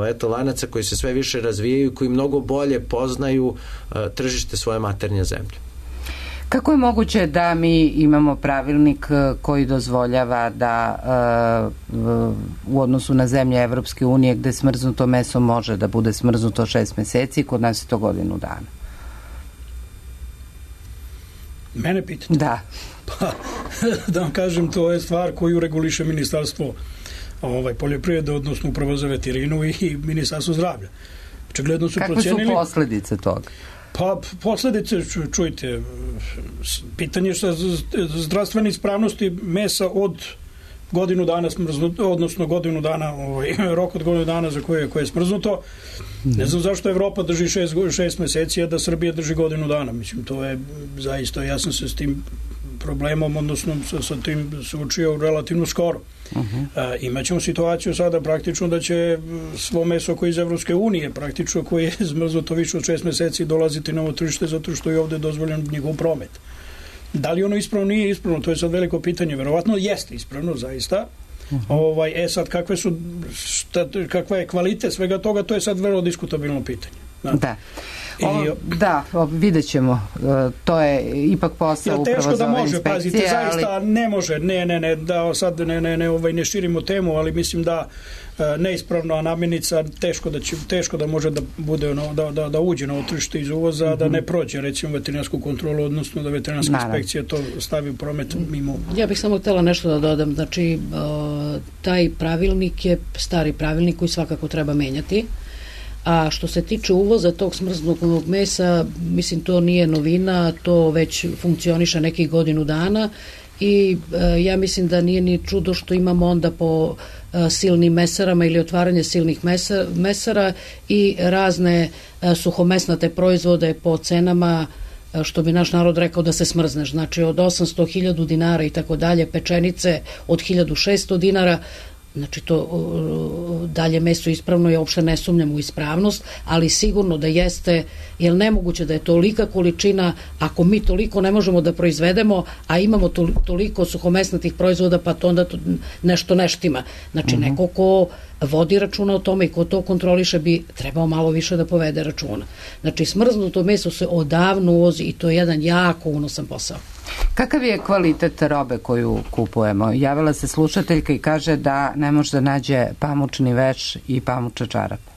eto, lanaca koji se sve više razvijaju i koji mnogo bolje poznaju tržište svoje maternje zemlje. Kako je moguće da mi imamo pravilnik koji dozvoljava da uh, u odnosu na zemlje Evropske unije gde smrznuto meso može da bude smrznuto šest meseci, kod nas je to godinu dana? Mene pitate? Da. Pa, da vam kažem, to je stvar koju reguliše ministarstvo ovaj, poljoprivrede, odnosno upravo za veterinu i ministarstvo zdravlja. Očigledno su Kakve procenili... su posledice toga? Pa, posledice, čujte, pitanje što zdravstvene ispravnosti mesa od godinu dana smrznuto, odnosno godinu dana, ovaj, rok od godinu dana za koje, koje je smrznuto. Ne znam zašto Evropa drži šest, šest meseci, a da Srbija drži godinu dana. Mislim, to je zaista, ja sam se s tim problemom, odnosno sa, sa tim suočio relativno skoro. Uh-huh. A, imaćemo situaciju sada praktično da će svo meso koje iz Evropske unije, praktično koje je zmrznuto više od šest meseci, dolaziti na ovo tržište zato što je ovde dozvoljen njegov promet. Da li ono ispravno, nije ispravno, to je sad veliko pitanje. Verovatno jeste ispravno, zaista. Uh-huh. Ovaj, e sad, kakve su, šta, kakva je kvalitet svega toga, to je sad vrlo diskutabilno pitanje. Da. Da. O, da, vidjet ćemo. To je ipak posao ja, upravo za ove inspekcije. Pazite, zaista ali... ne može, ne, ne, ne, da sad ne, ne, ne, ovaj, ne širimo temu, ali mislim da neispravno, a namirnica teško da će, teško da može da bude ono, da, da, da uđe na ovo tržište iz uvoza, mm-hmm. da ne prođe recimo veterinarsku kontrolu, odnosno da veterinarska Naravno. inspekcija to stavi u promet mimo. Ja bih samo htjela nešto da dodam, znači taj pravilnik je stari pravilnik koji svakako treba menjati. A što se tiče uvoza tog smrznutog mesa, mislim, to nije novina, to već funkcioniše nekih godinu dana i e, ja mislim da nije ni čudo što imamo onda po e, silnim mesarama ili otvaranje silnih mesa, mesara i razne e, suhomesnate proizvode po cenama, e, što bi naš narod rekao, da se smrzneš. Znači od osamsto hiljada dinara i tako dalje, pečenice od hiljadu šesto dinara. Znači to dalje meso ispravno, ja uopšte ne sumnjam u ispravnost, ali sigurno da jeste, jer nemoguće da je tolika količina, ako mi toliko ne možemo da proizvedemo, a imamo toliko suhomesnatih proizvoda, pa to onda to nešto neštima. Znači uh-huh. neko ko vodi računa o tome i ko to kontroliše bi trebao malo više da povede računa. Znači, smrznuto meso se odavno uvozi i to je jedan jako unosan posao. Kakav je kvalitet robe koju kupujemo? Javila se slušateljka i kaže da ne može da nađe pamučni veš i pamuče čarape.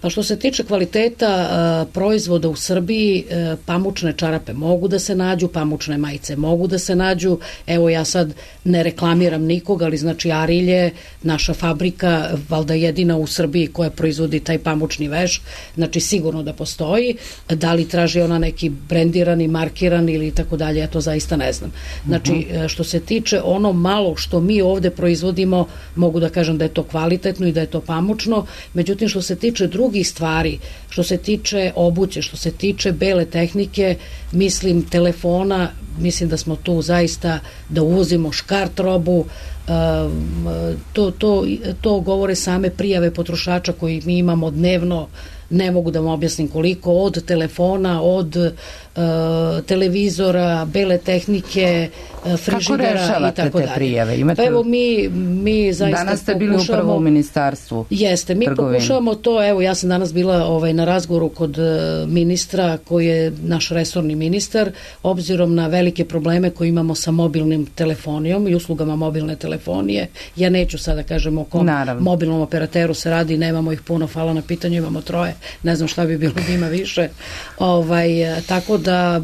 Pa što se tiče kvaliteta a, proizvoda u Srbiji, a, pamučne čarape mogu da se nađu, pamučne majice mogu da se nađu. Evo, ja sad ne reklamiram nikog, ali znači Arilje, naša fabrika, valjda jedina u Srbiji koja proizvodi taj pamučni veš, znači sigurno da postoji. Da li traži ona neki brendirani, markirani ili tako dalje, ja to zaista ne znam. Znači, uh-huh. što se tiče ono malo što mi ovde proizvodimo, mogu da kažem da je to kvalitetno i da je to pamučno, međutim što se tiče drugih stvari, što se tiče obuće, što se tiče bele tehnike, mislim telefona, mislim da smo tu zaista da uvozimo škart robu, to, to, to govore same prijave potrošača koji mi imamo dnevno, ne mogu da vam objasnim koliko, od telefona, od uh, televizora, bele tehnike, uh, frižidera i tako dalje. Kako rešavate te prijave? Imate... Pa evo mi, mi zaista danas ste bili pokušamo... upravo u ministarstvu. Jeste, mi trgovine. Pokušavamo to, evo ja sam danas bila ovaj, na razgovoru kod uh, ministra koji je naš resorni ministar, obzirom na velike probleme koje imamo sa mobilnim telefonijom i uslugama mobilne telefonije. Ja neću sada kažem o kom Naravno. mobilnom operateru se radi, nemamo ih puno, hvala na pitanju, imamo troje. Ne znam šta bi bilo da ima više. Ovaj, tako da,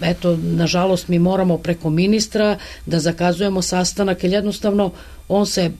eto, nažalost mi moramo preko ministra da zakazujemo sastanak, jer jednostavno on se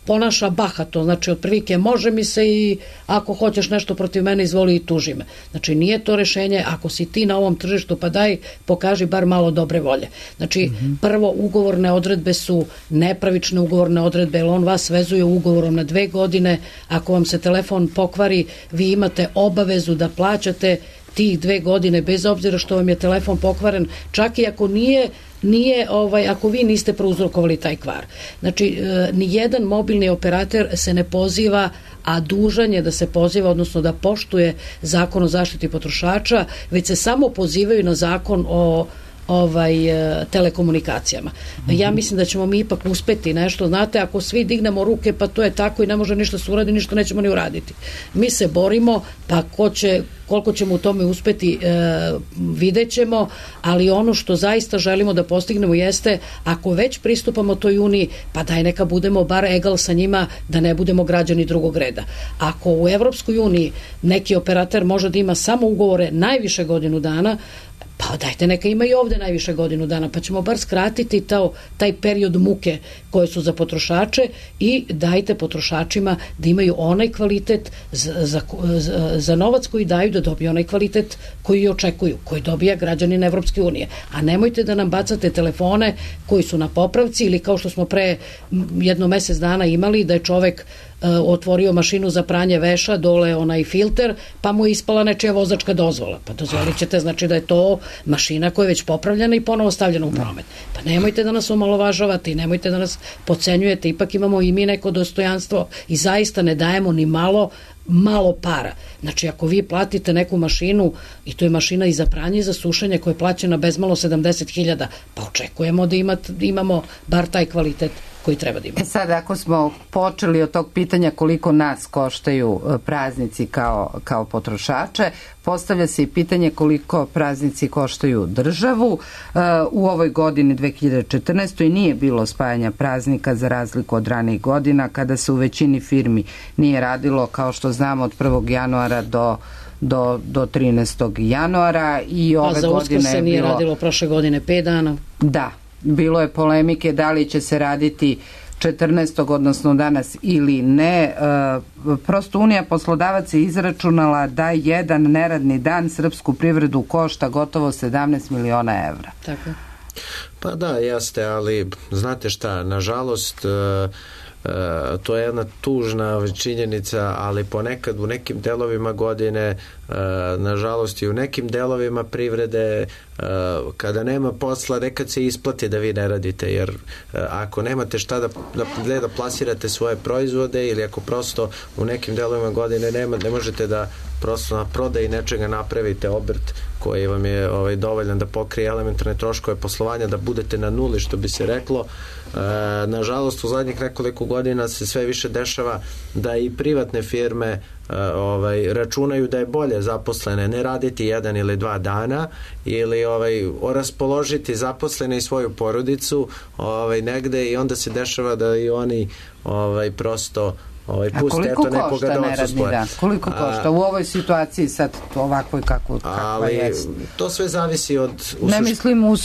ponaša bahato, znači otprilike može mi se i ako hoćeš nešto protiv mene izvoli i tuži me. Znači nije to rešenje, ako si ti na ovom tržištu pa daj pokaži bar malo dobre volje. Znači mm-hmm. prvo ugovorne odredbe su nepravične ugovorne odredbe, jer on vas vezuje ugovorom na dve godine, ako vam se telefon pokvari vi imate obavezu da plaćate tih dve godine bez obzira što vam je telefon pokvaren, čak i ako nije nije, ovaj, ako vi niste prouzrokovali taj kvar. Znači, e, nijedan mobilni operater se ne poziva, a dužan je da se poziva, odnosno da poštuje zakon o zaštiti potrošača, već se samo pozivaju na zakon o ovaj telekomunikacijama. Mm-hmm. Ja mislim da ćemo mi ipak uspeti nešto, znate, ako svi dignemo ruke pa to je tako i ne može ništa se uraditi, ništa nećemo ni uraditi. Mi se borimo, pa ko će, koliko ćemo u tome uspeti e, vidjet ćemo, ali ono što zaista želimo da postignemo jeste, ako već pristupamo toj uniji, pa daj neka budemo bar egal sa njima, da ne budemo građani drugog reda. Ako u Evropskoj uniji neki operater može da ima samo ugovore najviše godinu dana, pa dajte neka ima i ovde najviše godinu dana, pa ćemo bar skratiti to, taj period muke koje su za potrošače i dajte potrošačima da imaju onaj kvalitet za, za, za, za novac koji daju, da dobiju onaj kvalitet koji očekuju, koji dobija građanin Evropske unije. A nemojte da nam bacate telefone koji su na popravci ili kao što smo pre jedno mesec dana imali da je čovek otvorio mašinu za pranje veša, dole onaj filter, pa mu je ispala nečija vozačka dozvola. Pa dozvolit ćete, znači da je to mašina koja je već popravljena i ponovo stavljena u promet. Pa nemojte da nas omalovažavate i nemojte da nas podcenjujete, ipak imamo i mi neko dostojanstvo i zaista ne dajemo ni malo malo para. Znači, ako vi platite neku mašinu i to je mašina i za pranje i za sušenje koja je plaćena bezmalo sedamdeset hiljada, pa očekujemo da imate, imamo bar taj kvalitet koji treba da imamo. E sad, ako smo počeli od tog pitanja koliko nas koštaju praznici kao, kao potrošače, postavlja se i pitanje koliko praznici koštaju državu. U ovoj godini dve hiljade četrnaestoj nije bilo spajanja praznika za razliku od ranijih godina kada se u većini firmi nije radilo, kao što znamo, od prvog januara do do, do trinaestog januara i ove godine... A za Uskrs se nije bilo... radilo prošle godine pet dana. Da, bilo je polemike da li će se raditi četrnaestog odnosno danas ili ne. E, prosto Unija poslodavaca je izračunala da jedan neradni dan srpsku privredu košta gotovo sedamnaest miliona evra. Tako. Pa da, jeste, ali znate šta, nažalost... E, Uh, to je jedna tužna činjenica, ali ponekad u nekim delovima godine uh, nažalost i u nekim delovima privrede uh, kada nema posla nekad se isplati da vi ne radite, jer uh, ako nemate šta da, da, da plasirate svoje proizvode ili ako prosto u nekim delovima godine nema, ne možete da prosto na prodaji nečega napravite obrt koji vam je ovaj, dovoljan da pokrije elementarne troškove poslovanja, da budete na nuli, što bi se reklo. E, nažalost, u zadnjih nekoliko godina se sve više dešava da i privatne firme e, ovaj, računaju da je bolje zaposlene ne raditi jedan ili dva dana ili ovaj, raspoložiti zaposlene i svoju porodicu ovaj, negde i onda se dešava da i oni ovaj, prosto ovaj, puste eto nekoga da odsustvuje. Koliko košta u ovoj situaciji sad ovakvoj kako kakva je? To sve zavisi od... Ne sušt... mislim u,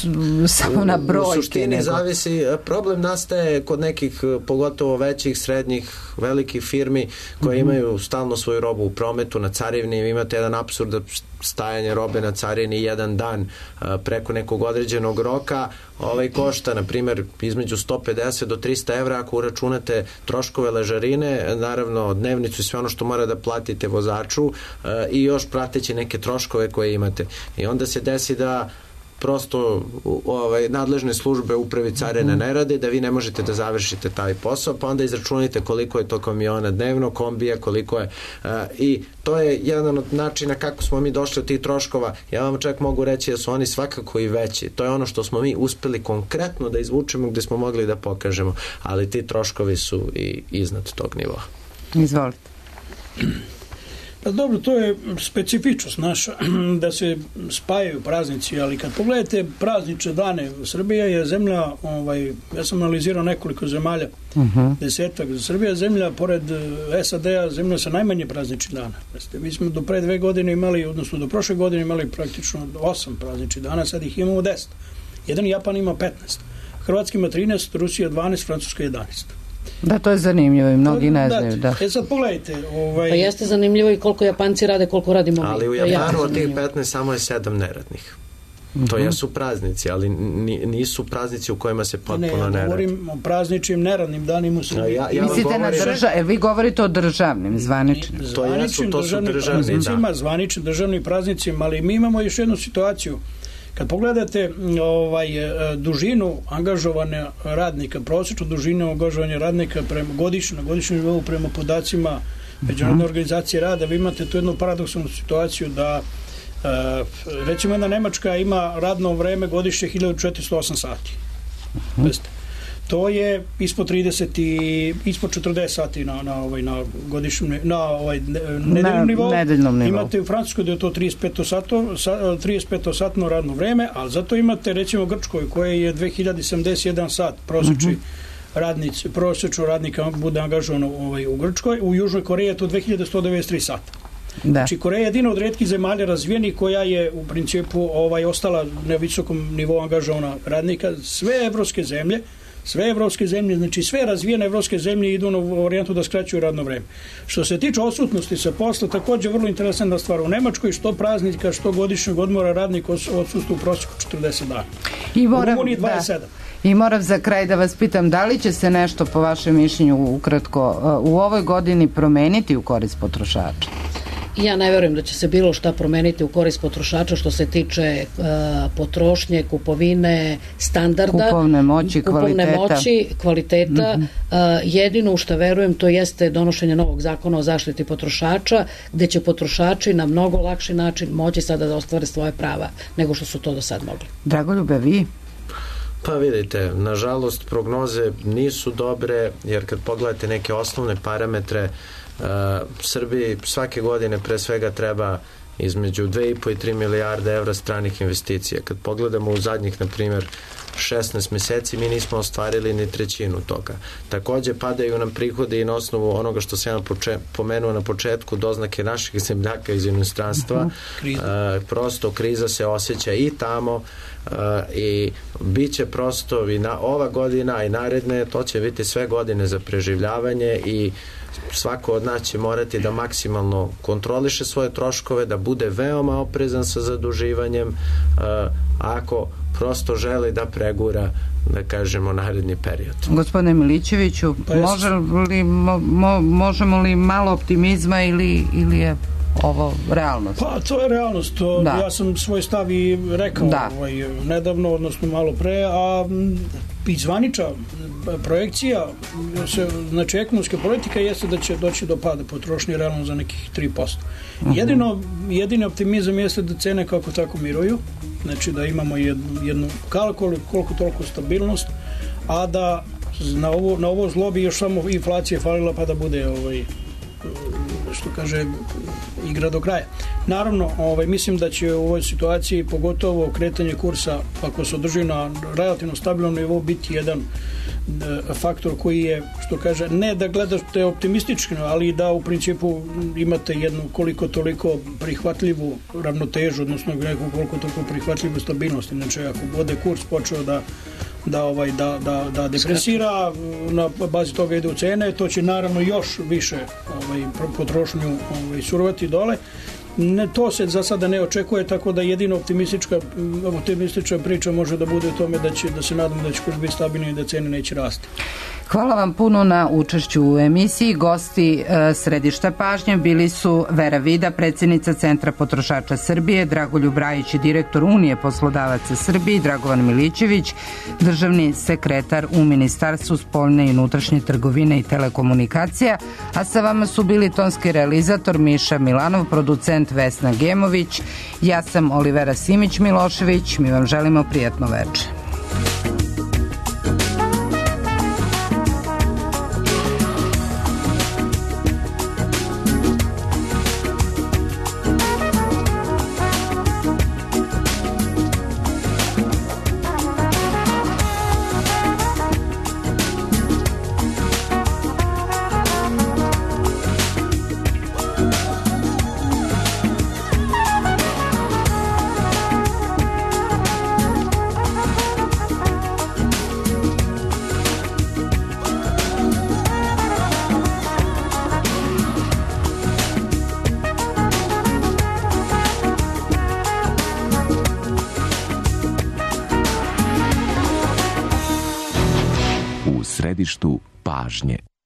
samo na brojke. U suštini nego... zavisi, problem nastaje kod nekih pogotovo većih, srednjih, velikih firmi koje mm-hmm. imaju stalno svoju robu u prometu, na carini, imate jedan apsurd stajanje robe na carini jedan dan a, preko nekog određenog roka, ovaj košta na primjer između sto pedeset do trista evra ako uračunate troškove ležarine, naravno dnevnicu i sve ono što mora da platite vozaču a, i još prateći neke troškove koje imate. I onda se desi da prosto ovaj, nadležne službe upravi carine ne rade, da vi ne možete da završite taj posao, pa onda izračunite koliko je to kamiona dnevno, kombija, koliko je uh, i to je jedan od načina kako smo mi došli od tih troškova. Ja vam čak mogu reći da su oni svakako i veći. To je ono što smo mi uspeli konkretno da izvučemo gde smo mogli da pokažemo, ali ti troškovi su i iznad tog nivoa. Izvolite. Pa dobro, to je specifičnost naša, da se spajaju praznici, ali kad pogledate praznične dane, Srbija je zemlja, ovaj, ja sam analizirao nekoliko zemalja, uh-huh. desetak, Srbija je zemlja, pored S A D-a, zemlja sa najmanje prazničnih dana. Mi smo do pre dve godine imali, odnosno do prošle godine imali praktično osam prazničnih dana, sad ih imamo deset. Jedan Japan ima petnaest, Hrvatska ima trinaest, Rusija dvanaest, Francuska jedanaest. Da, to je zanimljivo i mnogi ne znaju. Da. E sad pogledajte. Ovaj... Pa jeste zanimljivo i koliko Japanci rade, koliko radimo mi. Ali u Japanu od tih petnaest samo je sedam neradnih. Mm-hmm. To jesu praznici, ali nisu praznici u kojima se potpuno ne radi. Ne, ja govorim o prazničnim neradnim danima. Ja, ja, ja Mislite govorim... na držav... Jer vi govorite o državnim, zvaničnim. To jesu, to su državni, da. Zvaničnim državnim praznicima, ali mi imamo još jednu situaciju. Kad pogledate ovaj, dužinu angažovane radnika, prosječnu dužinu angažovanja radnika prema godišnju, na godišnjem nivou prema podacima Međunarodne organizacije rada, vi imate tu jednu paradoksalnu situaciju da recimo jedna Nemačka ima radno vreme godišnje hiljadu četiristo osam sati. Uh-huh. To je ispod trideset i ispod četrdeset sati na na ovaj na godišnjem na ovaj nedeljnom nivou. Nedeljnom nivou. Imate u Francuskoj da je to trideset pet satno trideset pet satno radno vreme, al zato imate recimo u Grčkoj koje je dve hiljade sedamdeset jedan sat prosečni uh-huh. radnici, prosečno radnika bude angažovano ovaj u Grčkoj, u Južnoj Koreji je to dve hiljade sto devedeset tri sata. Da. Znači Koreja je jedina od retkih zemalja razvijenih koja je u principu ovaj ostala na visokom nivou angažovana radnika. Sve evropske zemlje Sve evropske zemlje, znači sve razvijene evropske zemlje idu na varijantu da skraćuju radno vreme. Što se tiče odsutnosti sa posla, takođe vrlo interesantna stvar. U Nemačkoj što praznika, što godišnjeg odmora radnik odsustva u prosjeku četrdeset dana. I moram, u Rumuniji dvadeset sedam. Da. I moram za kraj da vas pitam, da li će se nešto po vašem mišljenju ukratko u ovoj godini promeniti u korist potrošača? Ja ne verujem da će se bilo šta promeniti u korist potrošača što se tiče uh, potrošnje, kupovine, standarda, kupovne moći, kupovne kvaliteta. moći, kvaliteta. Mm-hmm. Uh, jedino u što verujem to jeste donošenje novog zakona o zaštiti potrošača, gde će potrošači na mnogo lakši način moći sada da ostvare svoje prava nego što su to do sad mogli. Dragoljube, vi? Pa vidite, nažalost prognoze nisu dobre, jer kad pogledate neke osnovne parametre, Uh, Srbiji svake godine pre svega treba između dve i po i tri milijarde evra stranih investicija. Kad pogledamo u zadnjih, na primjer, šesnaest meseci, mi nismo ostvarili ni trećinu toga. Takođe padaju nam prihodi i na osnovu onoga što sam ja poče, pomenuo na početku, doznake naših zemljaka iz inostranstva. Uh-huh. Uh, prosto kriza se osjeća i tamo uh, i bit će prosto i na, ova godina i naredne, to će biti sve godine za preživljavanje i svako od nas će morati da maksimalno kontroliše svoje troškove, da bude veoma oprezan sa zaduživanjem uh, ako prosto želi da pregura, da kažemo, naredni period. Gospodine Milićeviću, pa može li, mo, mo, možemo li malo optimizma ili, ili je ovo realnost? Pa to je realnost. To, da. Ja sam svoj stav i rekao da. ovaj, nedavno, odnosno malo pre, a izvaniča projekcija, se, znači ekonomska politika jeste da će doći do pada potrošnje realno za nekih tri posto. Uh-huh. Jedino, jedini optimizam jeste da cene kako tako miruju, znači da imamo jednu, jednu koliko, koliko toliko stabilnost, a da na ovo, na ovo zlo bi još samo inflacija falila pa da bude ovaj, što kaže igra do kraja. Naravno, ovaj, mislim da će u ovoj situaciji pogotovo kretanje kursa, ako se održi na relativno stabilnom nivou, biti jedan e, faktor koji je, što kaže, ne da gledate optimistično, ali da u principu imate jednu koliko toliko prihvatljivu ravnotežu, odnosno neku koliko toliko prihvatljivu stabilnost. Znači, ako bude kurs počeo da da ovaj da da da depresira, na bazi toga ide u cene, to će naravno još više ovaj potrošnju ovaj surovati dole. Ne, to se za sada ne očekuje, tako da jedino optimistička optimistična priča može da bude u tome da će da se nadamo da će kurs biti stabilni i da cene neće rasti. Hvala vam puno na učešću u emisiji. Gosti e, središta pažnje bili su Vera Vida, predsjednica Centra potrošača Srbije, Dragoljub Rajić, direktor Unije poslodavaca Srbije, Dragovan Milićević, državni sekretar u Ministarstvu spoljne i unutrašnje trgovine i telekomunikacija, a sa vama su bili tonski realizator Miša Milanov, producent Vesna Gemović, ja sam Olivera Simić-Milošević, mi vam želimo prijatno večer. Središtu pažnje.